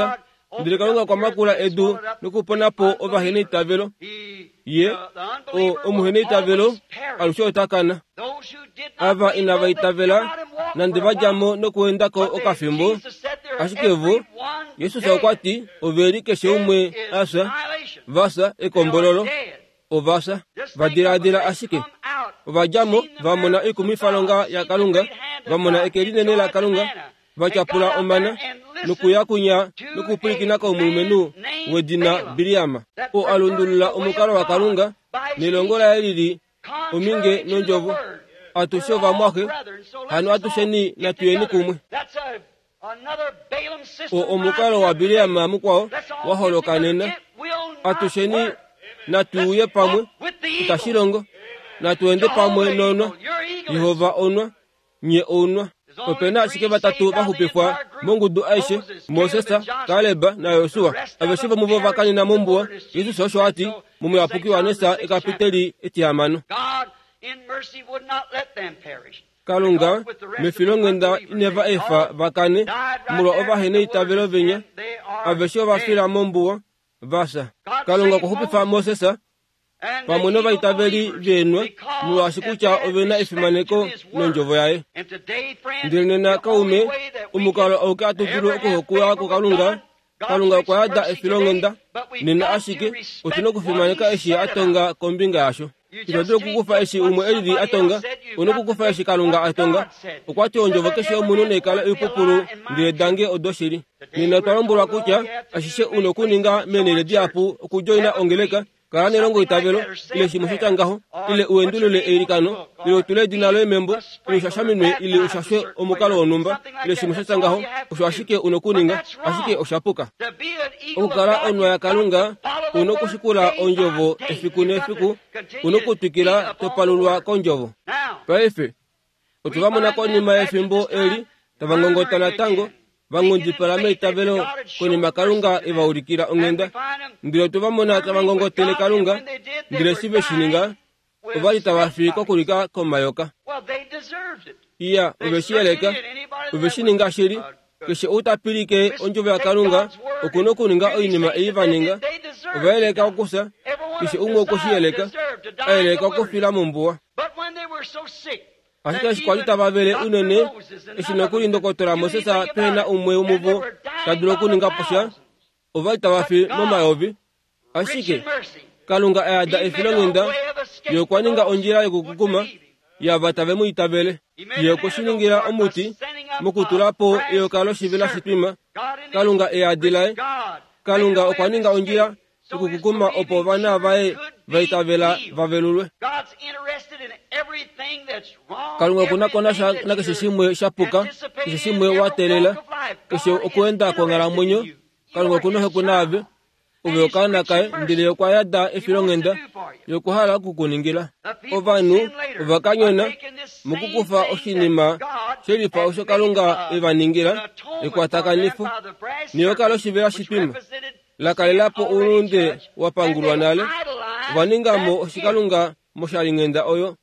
ndele Kalunga okwa makula edu nokupona po ovaheneitavelo. Ye, o, omuheneitavelo, alushe ota kana. Ava inava itavela, nande va dja mo nokuenda ko okafimbo, ashike vo, Jesus okwa ti, ove li keshe umwe a fya, va fya ekombololo, ova fya. Va diladila ashike. Ova dja mo, va mona oikumwifalonga yaKalunga, va mona eke linene laKalunga, va tyapula omana, nokuya kunya nokupwilikina komulumenhu wedina Biliam, oo a lundulula omukalo waKalunga nelongo laye lili ominge nondjovo. Atushe ovamwaxe, hano atusheni natuyeni kumwe. O omukalo waBiliam mukwao wa holoka nena. Atusheni natuuye pamwe, itashi longo. Natuende pamwe nonwa. Jehova onwa, nye ounwa. Ope na ashike vatatu va xupifwa mongudu aishe, Moses, Kaleb naJosua. Aveshe vomuvo va kanena mombuwa. Jesus osho a ti mOmuyapuki waJohannes ekapiteli etihamano. Kalunga mefilonghenda ineva efa va kane molwa ovaheneitavelo venya. Aveshe ova fila mombuwa, va fya. Kalunga okwa xupifa Moses pamwe novaitaveli veenwa, molwaashi kutya ove na efimaneko nondjovo yaye. Ndele nena kaume, omukalo auke hatu dulu okuhokiwa kuKalunga, Kalunga okwa yada efilonghenda nena, ashike otu na okufimaneka eshi a tonga kombinga yasho. Ito dulu okukufa eshi umwe elili a tonga, u na okukufa eshi Kalunga a tonga. Okwa ti ondjovo keshe yomunhu naikale oipupulu, ndele dange odoshili. Nena otwa lombwelwa kutya ashishe u na okuninga meenhele dihapu okudjoina ongeleka, kala nelongo itavelo, ile shimwe sha tya ngaho, ile u endulule eilikano, ile utule edina loye membo, ile ushashaminwe, ile ushashwe omukalo wonhumba, ile shimwe sha tya ngaho, osho ashike u na okuninga, ashike osha puka. Okukala onwa yaKalunga, u na okushikula ondjovo efiku nefiku, u na okutwikila to palulwa kondjovo. Paife, otwe va mona konima yefimbo eli tava ngongota natango, va nghundipala meitavelo konima Kalunga e va ulikila onghenda. Ndele otwe va mona tava ngongotele Kalunga, ndele eshi ve shi ninga, ova li tava fi kokulika komayoka. Iya, ove shi yeleka, ove shi ninga shili. Keshe ou ta pilike ondjovo yaKalunga oku na okuninga oinima ei va ninga. Ova yeleka okufya, keshe umwe okwe shi yeleka, a yeleka okufila mombuwa. Ashike eshi kwa li tava vele unene, eshi nokuli ndokotola Moses pehe na umwe womuvo ta dulu okuninga po sha, ova li tava fi momayovi. Ashike Kalunga a yada efilonghenda, ye okwa ninga ondjila yokukukuma yava tave mu itavele. Ye okwe shi ningila omuti mokutula po eyoka loshivela shitwima. Kalunga e yadi laye. Kalunga okwa ninga ondjila yokukukuma opo ovana vaye va itavela va velulwe. Kalunga oku na ko nasha nakeshe shimwe sha puka, keshe shimwe wa teelela, keshe okuenda kwonghalamwenyo. Kalunga oku na ohokwe naave. Ove okaana kaye ndele okwa yada efilonghenda yokuhala okukuningila. Ovanhu ovakanyona mokukufa oshinima shelifa osho Kalunga e va ningila ekwatakanifo neyoka loshivela shitwima la kalelapo oulunde wa pangulwa nale. Ova ningamo oshikalunga moshalinghenda oyo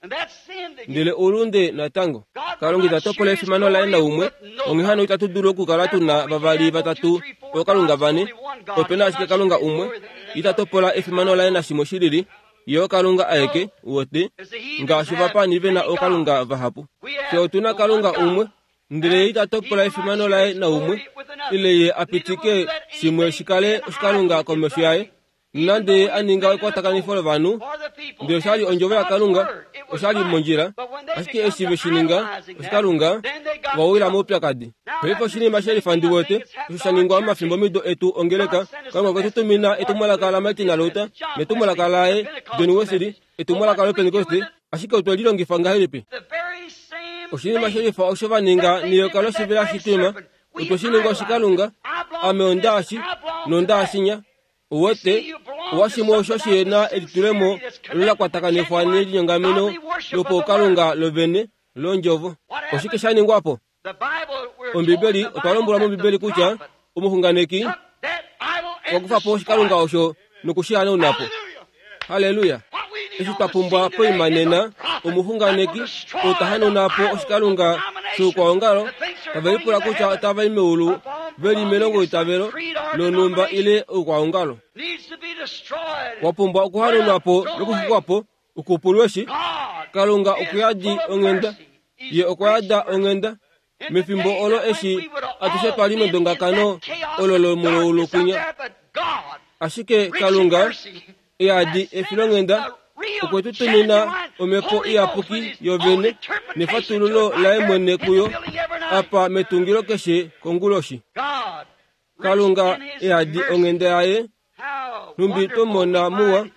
ndele oulunde natango. Kalunga ita topola efimano laye naumwe, onghee hano itatu dulu okukala tuna vavali vatatu ookalunga vane. Ope na ashike Kalunga umwe, ita topola efimano laye nashimwe shilili, ye oKalunga aeke wote, ngaashi ovapani ve na ookalunga vahapu. Fye otuna Kalunga umwe, ndele ye ita topola efimano laye naumwe, ile ye a pitike shimwe shikale oshikalunga komesho yaye. Nonande ye a ninga ekwatakanifo lovanhu, ndele oshali ondjovo yaKalunga, oshali mondjila, ashike eshi ve shi ninga oshikalunga, ova wila moupyakadi. Paife oshinima shelifa ndi wete osho sha ningwa momafimbo mido etu ongeleka. Kalunga okwe tu tumina etumwalaka laMartin Luther netumwalaka laye John Wesley, etumwalaka loPentecoste, ashike otwe lilongifa ngahelipi? Oshinima shelifa osho va ninga neyoka loshivela shitwima, otwe shi ninga oshikalunga. Ame ondaashi nondaashinya. Uwete owashimwe osho shihena elitulemo olo la kwatakanifwa nelinyongameno lopaukalunga lovene londjovo. Oshike sha ningwa po? Ombibeli otwa lombwelwa mOmbibeli kutya omuxunganeki okwa kufa po oshikalunga osho nokushihanauna po. Haleluya! Eshi twa pumbwa poima nena, omuxunganeki ou ta hanauna po oshikalunga shoukwaongalo, tave lipula kutya otava i meulu ve li melongoitavelo lonhumba ile oukwaongalo. Wa pumbwa okuhanaunwa po nokuxwikwa po, okupulweshi. Kalunga okuyadi onghenda, ye okwa yada onghenda. Mefimbo olo eshi atushe twa li medongakano olo lomuloulukwinya, ashike Kalunga eyadi efilonghenda okwe tu tumina omhepo iyapuki yovene nefatululo laye mwene kuyo apa metungilo keshe konguloshi. Kalunga eyadi onghenda yaye numbi twomona muwa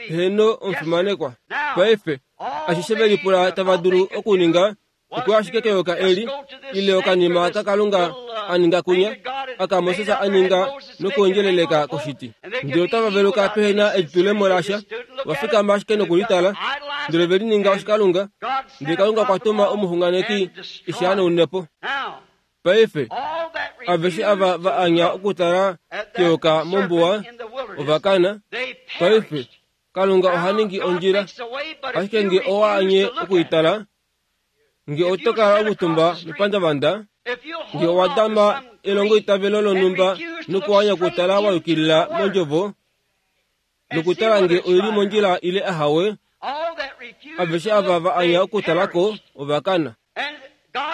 heno omufimanekwa. Paife ashishe velipula tava dulu okuninga okuya ashike keyoka eli ile okanima kaKalunga a ninga kunya aka Moses a ninga nokuondjeleleka koshiti. Ndele otava veluka pehena elitulemo lasha, va fikama ashike nokulitala, ndele ve lininga oshikalunga. Ndele Kalunga okwa tuma omuxunganeki eshi hanaune po. Paife aveshe ava va anya okutala keyoka mombuwa ova kana. Paife Kalunga oha ningi ondjila, ashike nge owa anye okuitala, nge oto kala omutumba mepandavanda, nge owa dama elongoitavelo lonhumba nokuanya okutala wa yukilila mondjovo nokutala nge oili mondjila ile ahawe, aveshe ava va anya okutalako ova kana.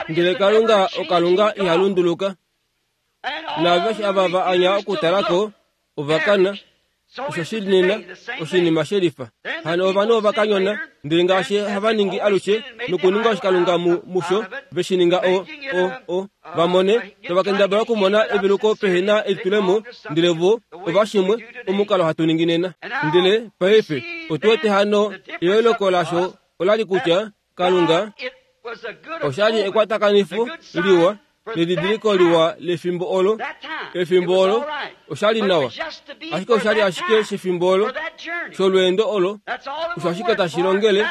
Ndele Kalunga oKalunga iha lunduluka, naaveshe ava va anya okutalako ova kana. Osho shili nena oshinima shelifa. Hano ovanhu ova kanyona, ndele ngaashi hava ningi alushe nokuninga oshikalunga mu musho, ve shi ninga o o o va mone, tava kendabala okumona eveluko pehena elitulemo, ndele vo ovashimwe omukalo hatu ningi nena. Ndele paife otu wete hano eyooloko lasho olali kutya Kalunga oshali ekwatakanifo liwa nedidiliko liwa lefimbo olo. Efimbo olo oshali nawa, ashike oshali ashike shefimbo olo sholweendo olo, osho ashike tashi longele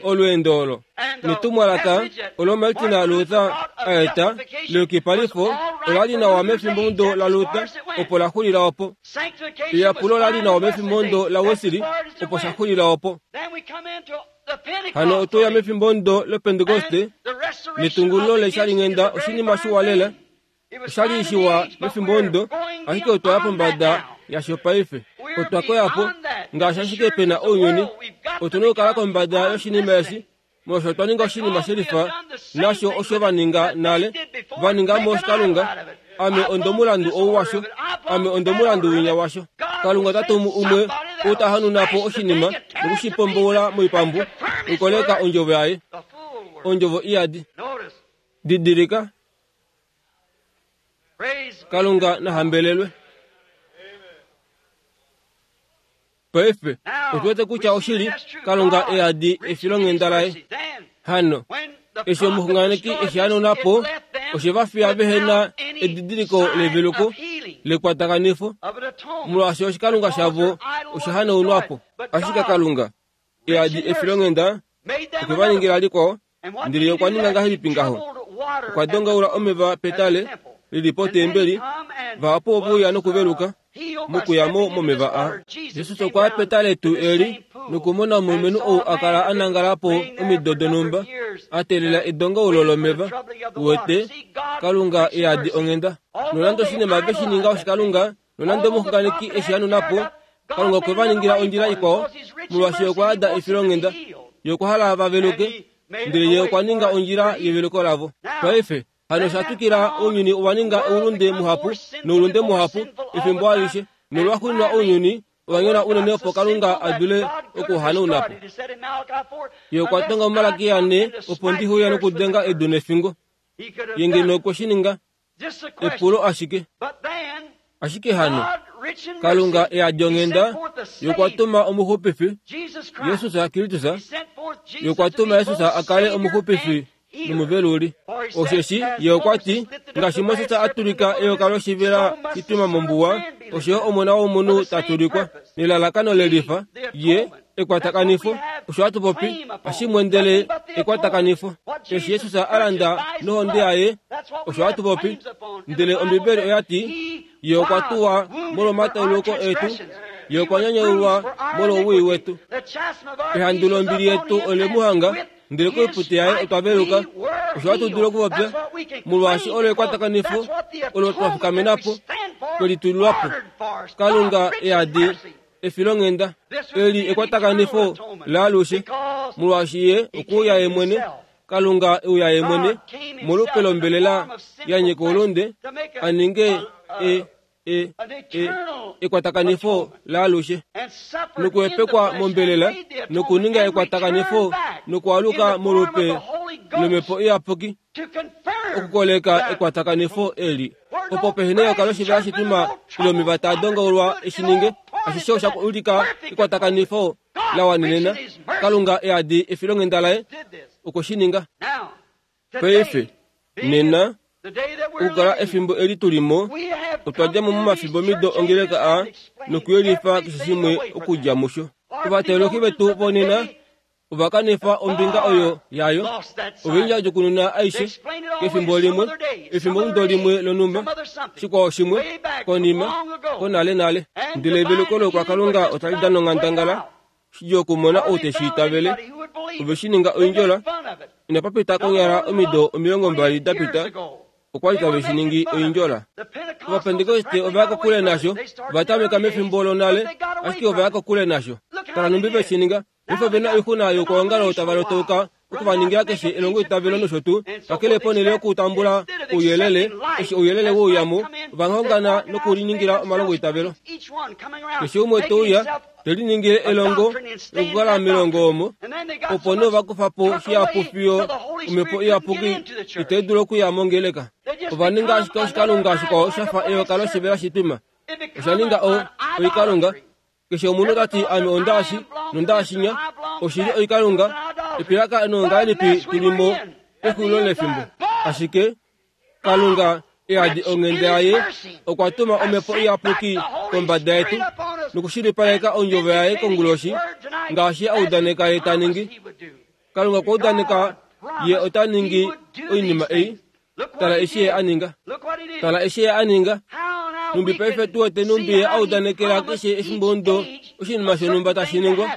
olweendo olo. Netumwalaka olo Martin Luther a eta leyukipalifo olali nawa mefimbomudo laLuther, opo la xulila opo. Eyapulo olali nawa mefimbomudo laWesley, opo sha xulila opo. Hano otoya mefimbomudo loPentecoste netungululo leshalinghenda oshinima shiwa lela. Oshali shiwa mefimbomudo, ashike otwaya pombada yasho paife. Otwa koyapo ngaashi ashike pena ounyuni. Otuna okukala kombada yoshinima eshi, molwaashi otwa ninga oshinima shelifa nasho osho va ninga nale, va ningamo oshikalunga. Ame ondomulandu ou washo, ame ondomulandu winya washo. Kalunga ota tumu umwe ou ta hanuna po oshinima nokushipomboula moipambu nokukoleka ondjovo yaye, ondjovo iyadi. Didilika, Kalunga na hambelelwe. Paife otu wete kutya oshili Kalunga eyadi efilonghenda laye. Hano eshi omuxunganeki eshi hanauna po, oshe va fiya vehena edidiliko leveluko, lekwatakanifo molwaashi oshikalunga shavo osha hanaunwapo. Ashike Kalunga eadi efilonghenda okwe va ningila likwao, ndele okwa ninga ngahelipi ngaho? Okwa dongaula omeva petale lili potembeli, vahapu ove uya nokuveluka mokuyamo momeva a. Jesus okwa ya petale tuu eli nokumona omulumenhu ou a kala a nangala po omido donhumba a teelela edongaulo lomeva. Uwete, Kalunga eadi onghenda. Nonande oshinima ve shi ninga oshikalunga, nonande omuxunganeki eshi hanuna po, Kalunga okwe va ningila ondjila ikwao, molwaashi okwa yada efilonghenda. Ye okwa hala va veluke, ndele ye okwa ninga ondjila yeveluko lavo. Paife hano osha twikila ounyuni owa ninga oulunde muhapu noulunde muhapu efimbo alishe, nolwaxuuninwa ounyuni owa nyona unene opo Kalunga a dule okuhanauna po. Ye okwa tonga muMalaki ane opo ndihuya nokudenga edu nefingo. Ye ngeno okwe shi ninga epulo ashike. Ashike hano Kalunga eadi onghenda, ye okwa tuma omuxupifi Jesus Kristus. Ye okwa tuma Jesus a kale omuxupifi nomuveluli. Osheshi ye okwa ti, ngaashi Moses a tulika eyoka loshivela shitwima mombuwa, osho Omona wOmunhu ta tulikwa nelalakano lelifa, ye ekwatakanifo. Osho hatu popi ashimwendele ekwatakanifo. Eshi Jesus a landa nohonde yaye, osho hatu popi. Ndele Ombibeli oya ti, ye okwa tuwa molwomatauluko etu, ye okwa nyanyaulwa molwowii wetu. Ehandu lombili yetu ole mu hanga, ndele koipute yaye otwa veluka. Osho hatu dulu okupopya, molwaashi olo ekwatakanifo olo twa fikamena po, twe litulilwa po. Kalunga eadi efilonghenda eli ekwatakanifo laalushe, molwaashi ye okuuya ye mwene. Kalunga euya ye mwene molupe lombelela ya nyika oulunde, a ninge e e e ekwatakanifo laalushe, nokuhepekwa mombelela, nokuninga ekwatakanifo, nokualuka molupe lomhepo iyapuki, okukoleka ekwatakanifo eli. Opo pehena eyoka loshivela shitwima ile omeva taa dongaulwa eshi ninge, ashishe osha ulika ekwatakanifo la wanenena. Kalunga eadi efilonghenda laye okwe shi ninga. Paife nena okukala efimbo eli tulimo, otwa dja mo momafimbo mido ongeleka a nokuyelifa keshe shimwe okudja musho. Ovateologi vetu vonena ova kanifa ombinga oyo yayo, ova djokununa aishe kefimbo limwe, efimbo mudo limwe lonhumba, shikwao shimwe konima konale nale. Ndele eveluko lokwakalunga otali dana onghandangala shidjuu okumona ou te shi itavele. Ove shi ninga oindjola. Inapa pita konyala omido omilongo mbali da pita, okwa li tave shi ningi oindjola. Ovapentekoste ova ya kokule nasho, va tameka mefimbo lonale, ashike ova ya kokule nasho. Tala nhumbi ve shi ninga. Paife ove na oixuna youkwaongalo tava lotauka okuvaningila keshe elongo itavelo nosho tuu, kakele ponhele yokutambula ouyelele, eshi ouyelele wouyamo, ova hongana nokuliningila omalongo itavelo. Keshe umwe te uya te liningile elongo lokukala melongo omo, opo nee ova kufa po shihapu fiyo omhepo iyapuki itai dulu okuya mongeleka. Ova ninga ashike oshikalunga shikwao sha fa eyoka loshivela shitwima. Osha ninga o oikalunga. Keshe omunhu ta ti ame ondaashi nondaashinya, oshili oikalunga. Epilakano ngahelipi tulimo pexulilo lefimbo. Ashike Kalunga eadi onghenda yaye okwa tuma omhepo iyapuki kombada yetu nokushilipaleka ondjovo yaye konguloshi, ngaashi a udaneka ye ta ningi. Kalunga okwa udaneka ye ota ningi oinima ei. Tala eshi ye a ninga. Tala eshi ye a ninga. Numbi paife tu wete numbi ye a udanekela keshe efimbo ndo oshinima shonhumba tashi ningwa.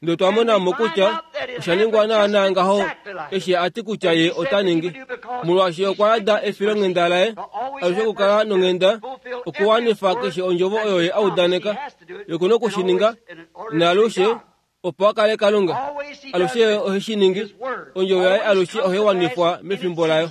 Ndele twa mona mo kutya osha ningwa naanaa ngaho eshi a ti kutya ye ota ningi. Molwaashi okwa yada efilonghenda laye alushe okukala nonghenda, okuwanifa keshe ondjovo oyo ye a udaneka. Ye oku na oku shi ninga naalushe opo a kale Kalunga. Alushe ohe shi ningi. Ondjovo yaye alushe ohai wanifwa mefimbo layo.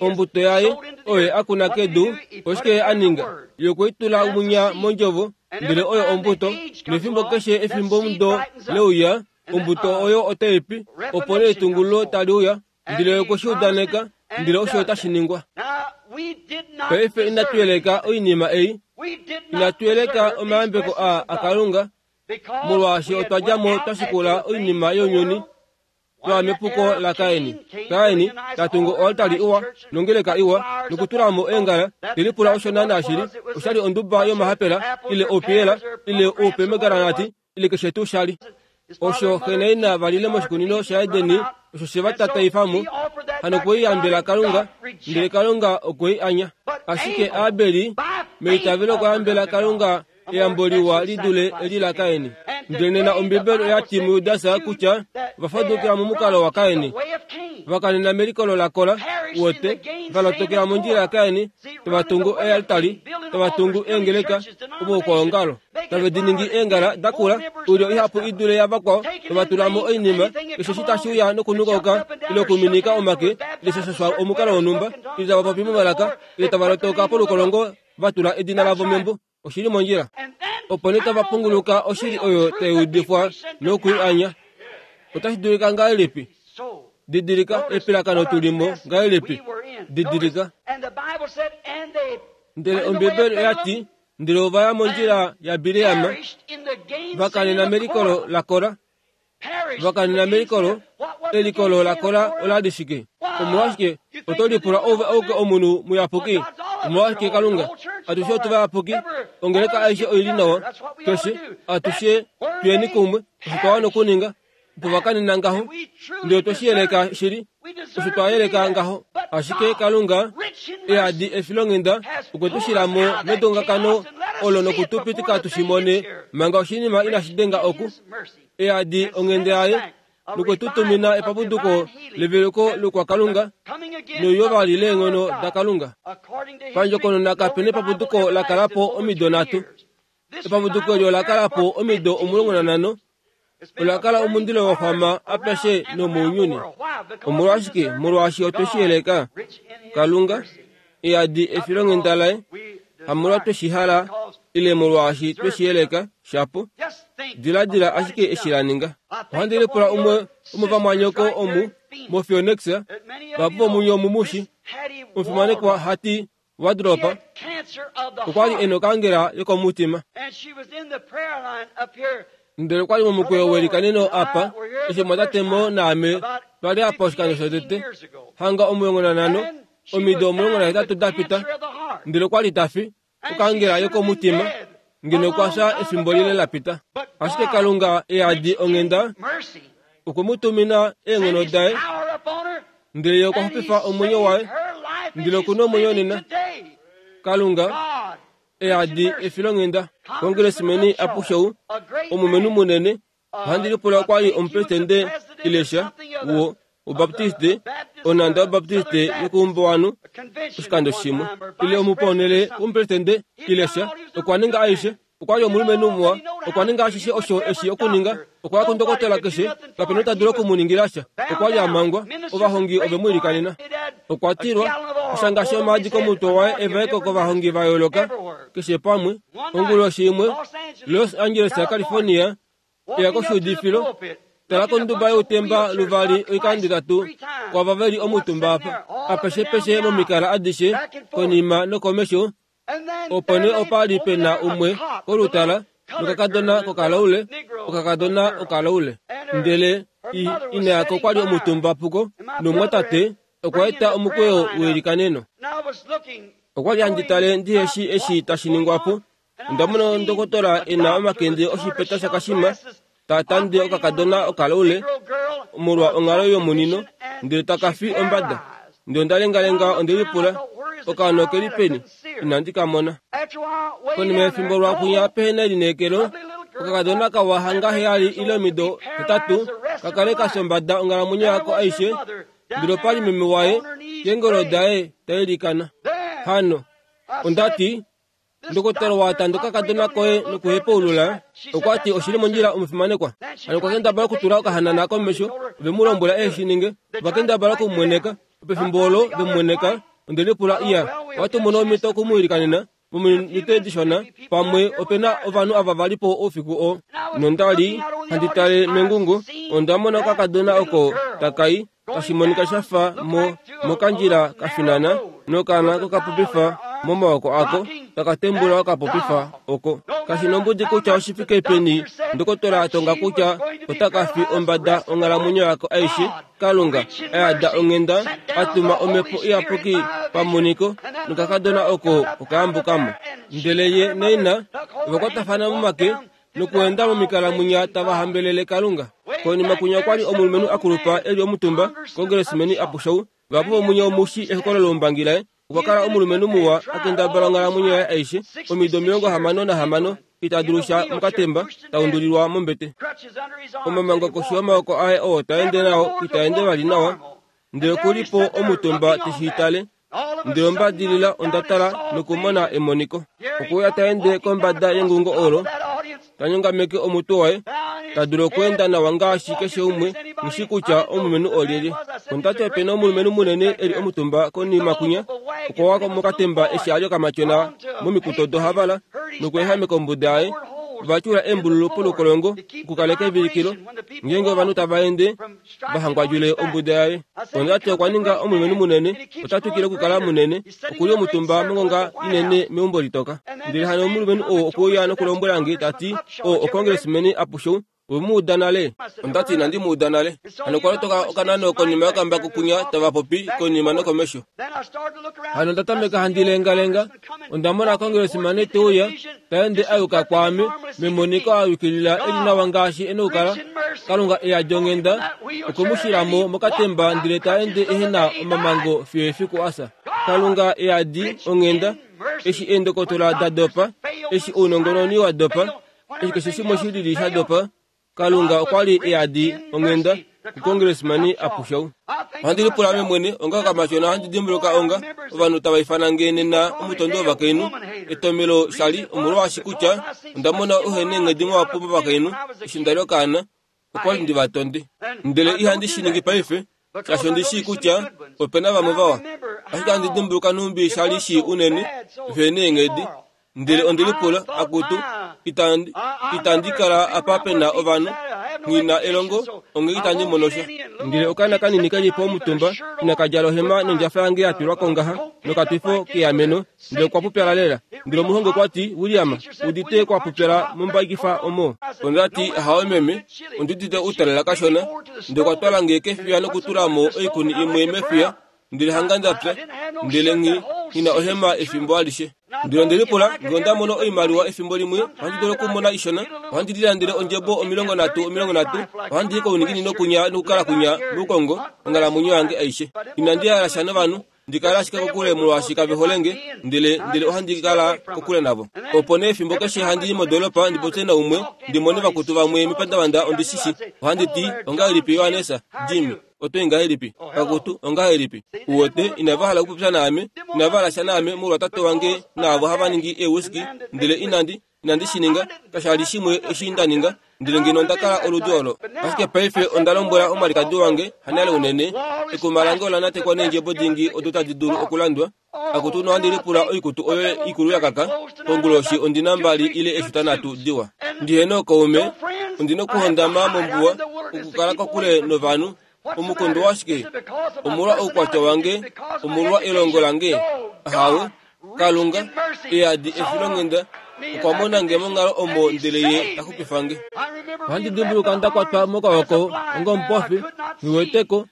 Ombuto yaye oyo a kuna kedu, oshike ye a ninga? Ye okwe i tula munya mondjovo, ndele oyo ombuto. Nefimbo keshe efimbo mudo leuya, ombuto oyo otai pi, opo nee etungululo tali uya, ndele okwe shi udaneka, ndele osho otashi ningwa. Paife inatu yeleka oinima ei, inatu yeleka omayambeko a aKalunga, molwaashi otwa dja mo twa shikula oinima younyuni, Twa mepuko laKaini. Kaini ta tungu oaltari iwa nongeleka iwa nokutulamo eengala telipula osho naana shili oshali onduba yomahapela ile oupiyela ile oupemegaranati ile keshe tuu shali. Osho xe naina valile moshikunino shaEdeni osho she va tataifamo hano okweyambela Kalunga, ndele Kalunga okwei anya. Ashike Abeli meitavelo okwayambela Kalunga eyambo liwa lidule eli laKaini. Ndele nena Ombibeli oyati muJudasa kutya vafadukila momukalo waKaini, vakanena melikolo lakola wote valotokela mondjila yaKaini, tavatungu ealtari, tavatungu eengeleka omoukwaongalo, tave diningi eengala dakula oilyo ihapu idule yavakwao, tavatulamo oinima keshe eshi tashi uya nokunukauka ile okuminika omake ile shashashwa omukalo wonhumba ile tavapopi momalaka ile tavalotoka polukolongo vatula edina lavo membo. Oshili mondjila. Opo nee tavapunguluka oshili oyo taiudifwa nokuianya. Otashi dulika ngahelipi? Didilika epilakano tulimo ngahelipi? Didilika. Ndele Ombibeli oyati ndele ovaya mondjila yaBileam vakanena melikolo laKora. Vakanena melikolo, elikolo laKora olali shike? Omolwashike oto lipula ove ouke omunhu muyapuki? Omolwashike Kalunga atushe otuvayapuki? Ongeleka aishe oili nawa keshe atushe tuyeni kumwe osho twa okuninga opo vakanena ngaho. Ndele otweshiyeleka shili osho twayeleka ngaho. Ashike Kalunga ehadi efilonghenda okwe tu shilamo medongakano olo nokutupitika tushimone manga oshinima inashi denga oku. Ehadi onghenda yaye nokwe tu tumina epapuduko leveluko lokwakalunga noyo vali leenghono daKalunga. Pandjokonona kapena epapuduko lakalapo omido nhatu. Epapuduko eli olakalapo omido omulongo nanhano. Olakala omundilo waxwama apeshe nomounyuni. Omolwashike? Molwaashi otweshiyeleka. Kalunga ehadi efilonghenda laye hamolwa tweshihala ile molwaashi tweshiyeleka shapo. Diladila ashike eshi la ninga. Ohandi lipula umwe womovamwanyoko omu moPhoenix vahapu vomunye omumushi omufimanekwa hati Wardrop okwali ena okaangela yokomutima. Ndele okwali momukweyo welikaneno apa eshi mwatatemo naame twali apa oshikando shotete hanga omulongo nanhano omido omulongo nahetatu dapita. Ndele okwali tafi okaangela yokomutima ngeno okwafya efimbo lile lapita. Ashike Kalunga ehadi onghenda okwe mu tumina eenghono daye ndele ye okwa xupifa omwenyo waye ndele okuna omwenyo nena. Kalunga ehadi efilonghenda. Congressman Apushou omulumenhu munene ohandi lipula okwali omupresidente ilesha wo wobaptiste onanda wobaptiste yokuumbuwanhu oshikando shimwe ile omuponele womupresidente ilesha okwa ninga aishe. Okwali omulumenhu muwa, okwa ninga ashishe osho eshi okuninga. Okwaya kundokotola keshe kapena ota dulu okumuningila sha. Okwali amangwa, ovahongi ove mu ilikanena. Okwa tilwa oshanga shomaadi komutwe waye evaeko kovahongi va yooloka keshe pamwe. Onguloshi imwe Los Angeles yaCalifornia eya koshuudifilo. Tala konduba youtemba luvali oikando itatu kwava veli omutumba apa apeshepeshe momikala adishe konima nokomesho. Opo nee opa li pena umwe kolutala nokakadona kokalaule okakadona okalaule. Ndele ina yako okwali omutumba puko nomwatate okwa eta omukweyo welikaneno. Okwali handi tale ndiheshi eshi tashi ningwapo. Onda mona ndokotola ena omakende oshipeta shakashima tatande okakadona okalaule molwa onghalo yomunino ndele takafi ombada. Ndele onda lengalenga onde lipula okaana okeli peni inandi ka mona. Konima yefimbo lwakunya pehena elineekelo okakadona kawa hanga heyali ile omido hetatu kakale kasombada onghalamwenyo yako aishe. Ndele opali meme waye keengolo daye tailikana. Hano ondati ndokotolo watanda okakadona koye nokuhepaulula. Okwati oshili mondjila omufimanekwa. Hano okwa kendabala okutula okahanana komesho ve mu lombwela eshi ninge. Ova kendabala okumumweneka. Pefimbo olo vemumweneka onde lipula iya watumona omhito okumuilikanena mominute dishona pamwe opena ovanhu ava valipo oufiku oo. Nondali handi tale mengungu onda mona okakadona oko takai tashi monika shafa mo mokandjila kafinana nokaana kokapopifa momaoko ako taka tembula okapopifa oko kashi nombudi kutya oshifike peni ndokotola atonga kutya otaka fi ombada onghalamwenyo yako aishe Kalunga ayada onghenda atuma omhepo iyapuki pamoniko nokakadona oko okayambukamo ndele ye naina ovakwatafana momake nokuenda momikalamunya tava hambelele Kalunga. Konima kunya kwali omulumenhu akulupa eli omutumba kongressman Apushou vapo vomunya omushi ehokololo lombangi laye okwa kala omulumenhu muwa akendabala onghalamwenyo yaye aishe omido omilongo hamano nahamano itadulusha mukatemba taundulilwa mombete omamango koshi yomaoko aye oo taende nao itaende vali nawa ndele okulipo omutumba teshiitale ndele ombadilila ondatala nokumona emoniko okuya taende kombada yengungo olo tanyongameke omutwe waye tadulu okuenda nawa ngaashi keshe umwe mushi kutya omulumenhu olyelye. Ondati opena omulumenhu munene eli omutumba konima kunya okwa mokatemba eshi ali okamatyona momikuto dohavala nokuehameka ombuda yaye vachula embululu polukolongo okukaleka evilikilo ngenge ovanhu tava ende vahangwadjule ombuda yaye. Ondati okwa ninga omulumenhu munene otatwikile okukala munene okuli omutumba mongonga inene meumbo litoka. Ndele hano omulumenhu oo okuuya nokulombwela nge tati o okongressman Apushou omuuda nale. Ondati inandi muuda nale. Hano okwa lotoka okanano konima yokambako kunya tava popi konima nokomesho. Hano ndatameka handi lengalenga ondamona congressman teuya taende ayuka kwaame memoniko ayukilila eli nawa ngaashi ena okukala. Kalunga eyadi onghenda okwemushilamo mokatemba ndele taende ehena omamango fiyo efiku asa. Kalunga eyadi onghenda eshi eendokotola da dopa eshi ounongononi wa dopa eshi keshe shimwe shilili sha dopa Kalunga okwali eyadi onghenda kukongressman Apushou. Ohandi lipula ame mwene onga okamatyona ohandi dimbuluka onga ovanhu tava ifana nge nena omutondi wovakainhu etomelo shali omolwaashi kutya onda mona uhena eenghedi mwapo movakainhu eshi ndali okaana okwali ndi vatonde ndele ihandi shi ningi paife shaashi ondi shii kutya opena vamwe vawa ashike handi dimbuluka nhumbi shali shii unene vehena eenghedi ndele ondi lipula akutu itandi itandi kala apa pena ovanhu ngina elongo onge itandi monosha. Ndele okana kanini kali po omutumba inakadjala ohema nondjafa yange yatulwa kongaha nokatwifo keameno ndele okwa pupyala lela. Ndele omuhongi okwa ti William udite kwa pupyala mombaikifa omo. Ondati hawe meme ondudite utalela kashona ndele okwa twala nge kefiya nokutulamo oikuni imwe mefiya ndele hanga ndapya ndele nghi ngina ohema efimbo alishe. Ndele ndelipula nge onda mono oimaliwa efimbo limwe ohandi dulu okumona ishona ohandi lilandele ondjebo omilongo nhatu omilongo nhatu ohandi i kouninginino kunya nokukala kunya moukongo onghalamwenyo yange aishe. Inandi hala sha novanhu ndikala ashike kokule molwaashi kave hole nge ndele ndele ohandi kala kokule navo. Opo nee efimbo keshe handi i modolopa ndipopye naumwe ndimone vakutu vamwe mepandavanda ondishishi ohandi ti ongahelipi Yohanesa Jimmy oto ngahelipi kakutu ongahelipi uwete inava hala okupopya naame inava hala sha naame molwa tate wange naavo hava ningi eewhiskey ndele inandi inandi shi ninga kashali shimwe eshi nda ninga ndele ngeno onda kala oludi olo. Ashike paife onda lombwela omwalikadi wange hanale unene ekuma lange ola natekwa neendjebo dingi odo tadi dulu okulandwa akutu nohandi lipula oikutu oyo ikulu yakaka konguloshi ondina mbali ile eshuta nhatu diwa. Ndihena okaume ondina okuhondama mombuwa okukala kokule novanhu omukondo washike omolwa oukwatya wange omolwa elongo lange ahawe Kalunga eyadi efilonghenda okwa mona nge monghalo omo ndele ye taxupifa nge. Ohandi dimbuluka nda kwatwa mokawoko onga omupofi nghiweteko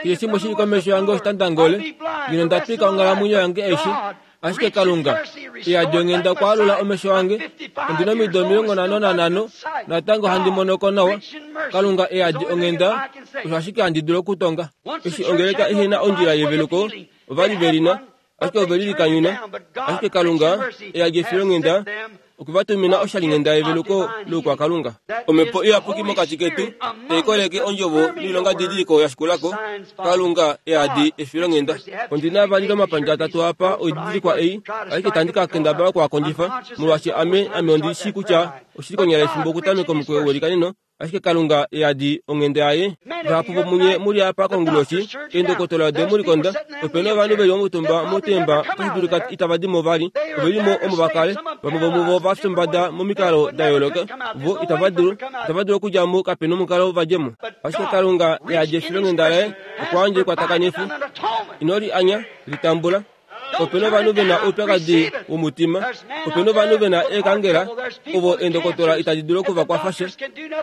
keshe shimwe shili komesho yange oshitandangole ngino nda twika onghalamwenyo yange aishe ashike Kalunga eyadi onghenda okwa alula omesho ange ondina omido omilongo nhano nanhano natango handi monoko nawa. Kalunga eyadi onghenda osho ashike handi dulu okutonga. Eshi ongeleka ihena ondjila yeveluko ovali velina ashike ovelilikanyuna ashike Kalunga eyadi efilonghenda okuvatumina oshalinghenda yeveluko loukwakalunga. Omhepo iyapuki mokati ketu taikoleke ondjovo noilonga didiliko yashikulako. Kalunga eyadi efilonghenda. Ondina vali lomapandja atatu apa oididilikwa ei ashike tandi ka kendabala okuakondjifa molwaashi ame ame ondi shii kutya oshili konyala efimbo okutameka omukweyo welikaneno ashike Kalunga eyadi onghenda yaye. Vahapu vomunye muli apa konguloshi eendokotola ode mulikonda opena ovanhu veli omutumba motemba otashi dulika itava dimo vali ovelimo omo vakale vamwe vomuvo vafya ombada momikalo da yooloka vo itava dulu itava dulu okudjamo kapena omukalo vadjemo. Ashike Kalunga eyadi efilonghenda laye okwa yandja ekwatakanifo ino li anya litambula Opena ovanhu vena oupyakadi womutima, opena ovanhu vena eekangela ovo eendokotola itadi dulu okuvakwafa sha.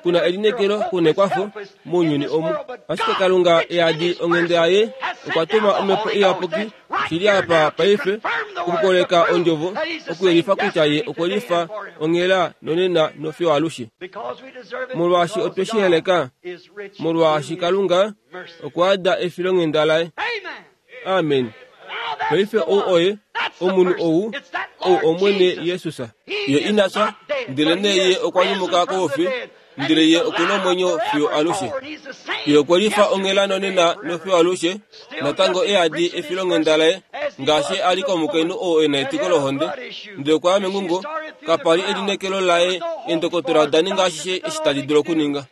Kuna elineekelo, kuna ekwafo mounyuni omu. Ashike Kalunga eyadi onghenda yaye okwa tuma Omhepo Iyapuki shili apa paife okukoleka ondjovo, okuyelifa kutya ye okwe lifa onghela nonena nofiyo alushe. Molwaashi otwe shi heleka, molwaashi Kalunga okwa ada efilonghenda laye. Amen. Paife ou oye omunhu ou, ou Omwene Jesus. Ye ina fya, ndelenee ye okwa nyumuka koufi, ndele ye okuna omwenyo fiyo alushe. Ye okwe lifa onghela nonena nofiyo alushe, natango eyadi efilonghenda laye, ngaashi a li komukainhu oo e na etiko lohonde. Ndele okwa ya mengungo, kapa li elineekelo laye, eendokotola oda ninga ashishe eshi tadi dulu okuninga.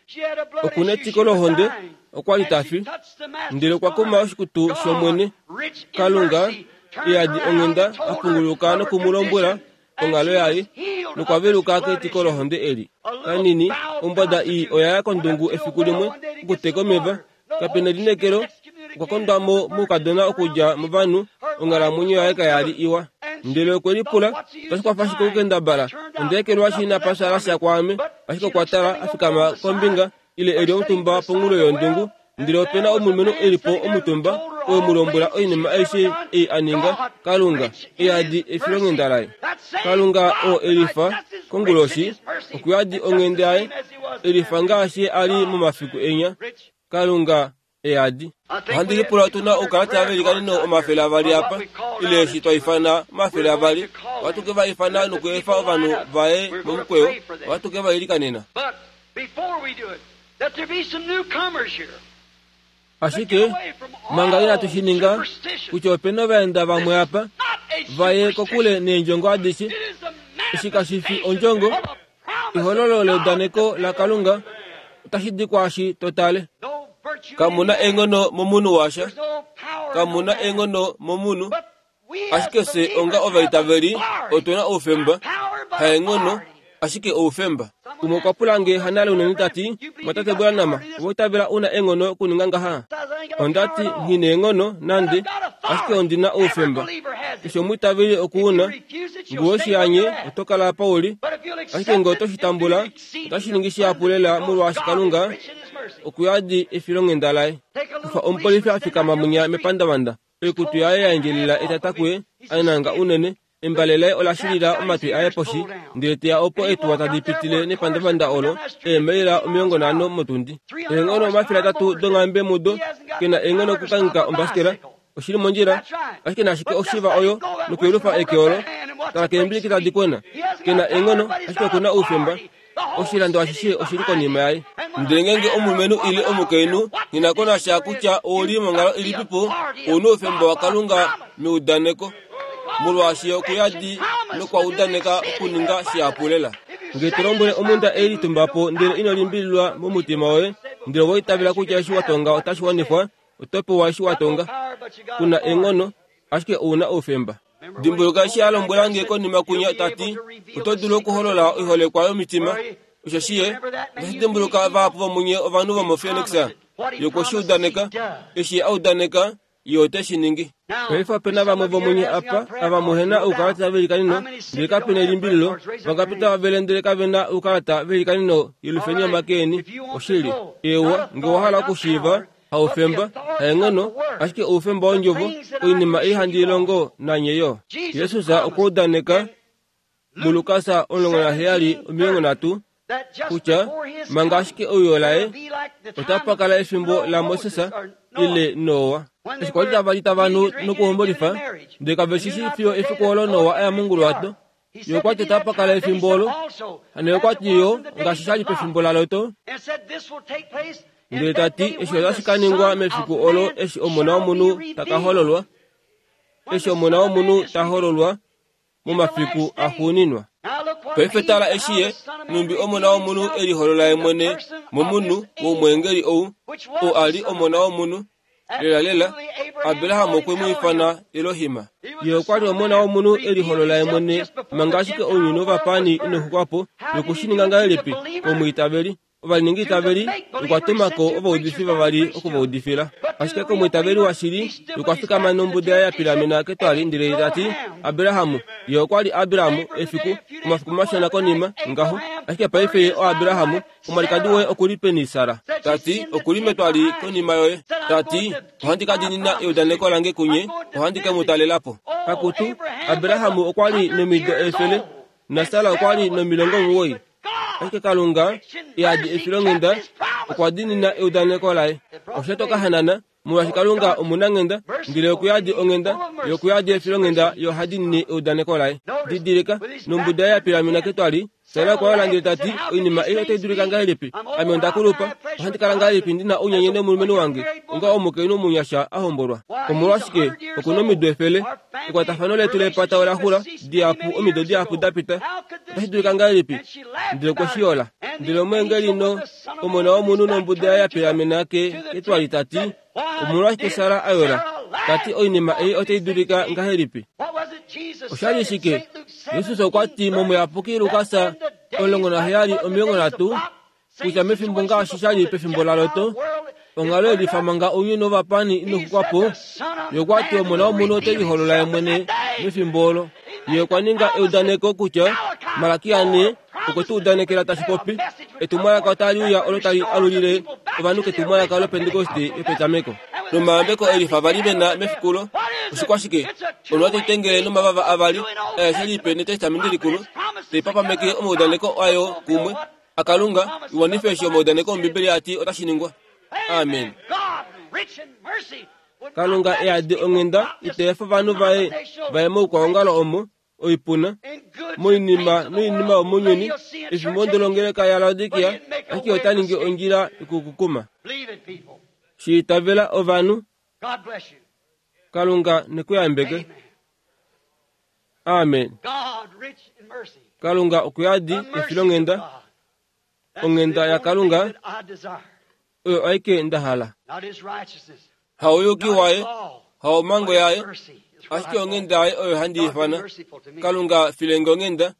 Okuna etiko lohonde, okwa li ta fi, ndele okwa kuma oshikutu shOmwene. Kalunga eyadi onghenda a punguluka noku mu lombwela onghalo yaye, nokwa veluka ketiko lohonde eli. Kanini, ombwada ii oya ya kondungu efiku limwe okuteka omeva. Kapena elineekelo, okwa kondwa mo moukadona okudja movanhu, onghalamwenyo yaye kaya li iwa. Ndele okwe lipula, otashi kwafa shike okukendabala? Onda ekelwashi inapa shala sha kwaame. Ashike okwa tala, a fikama kombinga, ile e li omutumba ponghulo yondungu, ndele opena omulumenhu e li po omutumba, oo mu lombwela oinima aishe ei a ninga. Kalunga eyadi efilonghenda laye. Kalunga oo e lifa konguloshi, okuyadi onghenda yaye, e lifa ngaashi a li momafiku enya. Kalunga eyadi. Ohandi lipula otu na oukalata velikaneno omafele avali apa, ile eshi twa ifana omafele avali. Ohatu ke va ifana nokuefa ovanhu vaye momukweyo, ohatu ke va ilikanena. Ashike manga inatu shi ninga, kutya opena ovaenda vamwe apa vaye kokule neendjongo adishe. Eshi kashi fi ondjongo, ehololo leudaneko laKalunga otashi di kwaashi to tale. Kamuna eenghono momunhu washa, kamuna eenghono momunhu, ashike fye onga ovaitaveli otuna oufemba, haenghono, ashike oufemba. Umwe okwa pula nge hanale unene ta ti, Mwatate Branham, owa itavela una eenghono okuninga ngaha? Onda ti, nghi neenghono nande, ashike ondi na oufemba. Keshe omwiitaveli okuuna, ngu oshi anye oto kala apa uli, ashike nge oto shi tambula, otashi ningi shihapu lela molwaashi Kalunga okuyadi efilonghenda laye. Kufa omupolifi a fikama munya mepandavanda, oikutu yaye ya endjelela etata kuye, a nanga unene, embale laye ola shilila omatwi aye poshi, ndele teya opo eetuwa tadi pitile nepandavanda olo, eemaila omilongo nhano motundi. Eenghono omafele atatu donghambe mudo, ke na eenghono okukangheka ombasikela, oshili mondjila, ashike nashike oshiva oyo nokuyelufa eke olo, tala keembiliki tadi kwena. Ke na eenghono, ashike okuna oufemba. Oshilando ashishe oshili konima yaye. Ndele ngeenge omulumenhu ile omukainhu nghi ko nasha kutya ouli monghalo ilipipo, ouna oufemba waKalunga meudaneko, molwaashi okuyadi nokwa udaneka okuninga shihapu lela. Nge to lombwele omhunda ei litumba po ndele ino limbililwa momutima woye, ndele owa itavela kutya eshi wa tonga otashi wanifwa, oto pewa eshi wa tonga. Kuna eenghono, ashike ouna oufemba. Dimbuluka eshi a lombwela nge konima kunya ta ti, oto dulu okuholola oiholekwa yomitima. Osheshi ye, otashi dimbuluka vahapu vomunye ovanhu vomoPhoenix, ye okwe shi udaneka, eshi a udaneka, ye ote shi ningi. Paife opena vamwe vomunye apa ava muhena oukalata velikaneno, ndele kapena elimbililo, vangapi tava vele ndele kavena oukalata velikaneno yelufeni omake eni. Oshili, ewa, nge owa hala okushiiva, haufemba, haenghono, ashike oufemba wondjovo, oinima ei handi longo nanye yo. Jesus okwa udaneka muLukas omulongo naheyali omilongo nhatu kutya manga ashike ouyo laye otapa kala efimbo laMoses ile Noa. Eshi kwali tava li tava nu nokuhombolifa, ndele kave shi shii fiyo efiku olo Noa a ya monguluwato. Ye okwa ti otapa kala efimbo olo, hano okwa ti yo ngaashi sha li pefimbo laLot. Ndele ta ti eshi otashi ka ningwa mefiku olo eshi Omona wOmunhu ta ka hololwa, eshi Omona wOmunhu ta hololwa momafiku axuuninwa. Paife tala eshi ye, numbi Omona wOmunhu e liholola ye mwene momunhu womweengeli ou, oo a li Omona wOmunhu. Lela lela, Abraham okwe mu ifana Elohim. Ye okwa li Omona wOmunhu e liholola ye mwene manga ashike ounyuni wovapani ino xukwa po, noku shi ninga ngahelipi komwiitaveli. Ovaliningi itaveli okwa tuma ko ovaudifi vavali okuvaudifila. Ashike komwiitaveli washili okwa fikama nombuda yaye ya pilamena ketwali ndele tati Abrahamu. Ye okwa li Abrahamu efiku omafiku mashona konima ngaho. Ashike paife ye oAbrahamu, omwalikadi woye okuli peni Sara? Tati okuli metwali konima yoye. Tati ohandi ka diinina eudaneko lange kunye, ohandi ke mu talelapo. Akutu Abrahamu okwa li nomido efele na Sara okwa li nomilongo omuwoi. Ashike Kalunga yadi efilonghenda okwa diinina eudaneko laye. Osha toka hanana molwaashi Kalunga omunanghenda, ndele okuyadi onghenda yokuyadi efilonghenda yo oha diinine eudaneko laye. Didilika nombuda ya pilamena ketwali. Sara okwa yola ndele tati oinima ei otai dulika ngahelipi? Ame onda kulupa, ohandi kala ngahelipi ndina ounyenye nomulumenhu wange onga omukainhu omunyasha a hombolwa? Omolwashike okuna omido efele? Ekwatafano letu lepata ola xula dihapu omido dihapu da pita. Otashi dulika ngahelipi? Ndele okwe shi yola. Ndele omweengeli no omona womunhu nombuda ya pilamena ke ketwali tati omolwashike Sara a yola? Tati oinima ei otai dulika ngahelipi? Osha li shike? Jesus okwa ti momuyapuki Lukas omulongo naheyali omilongo nhatu kutya mefimbo ngaashi sha li pefimbo laLoto, onghalo yelifa manga ounyuni wovapani inoxukwa po, ye okwa ti omona womunhu ote liholola ye mwene mefimbo olo. Ye okwa ninga eudaneko kutya Malakia ne okwe tu udanekela tashi popi etumwalaka otali uya olo tali alulile ovanhu ketumwalaka lopentekoste yopetameko. Nomayambeko elifa vali vena mefikulo oshikwashike? Onwa taitengele nomavava avali aeshe lipe netestamenti likulu taipapameke omaudaneko ayo kumwe aKalunga iwanife eshi omaudaneko Ombibeli ati otashi ningwa. Amen. Kalunga eadi onghenda iteefa ovanhu vaye vaye moukwaongalo omo oipuna moinima noinima yomounyuni efimbo ndolongeleka yaLaodikia, ashike ota ningi ondjila yokukukuma. Shiitavela ovanhu. Kalunga nekuyambeke. Amen. Kalunga okuyadi efilonghenda, onghenda yaKalunga oyo aike nda hala. Hauyuki waye, haomango yaye, ashike onghenda yaye oyo handi ifana. Kalunga filenge onghenda.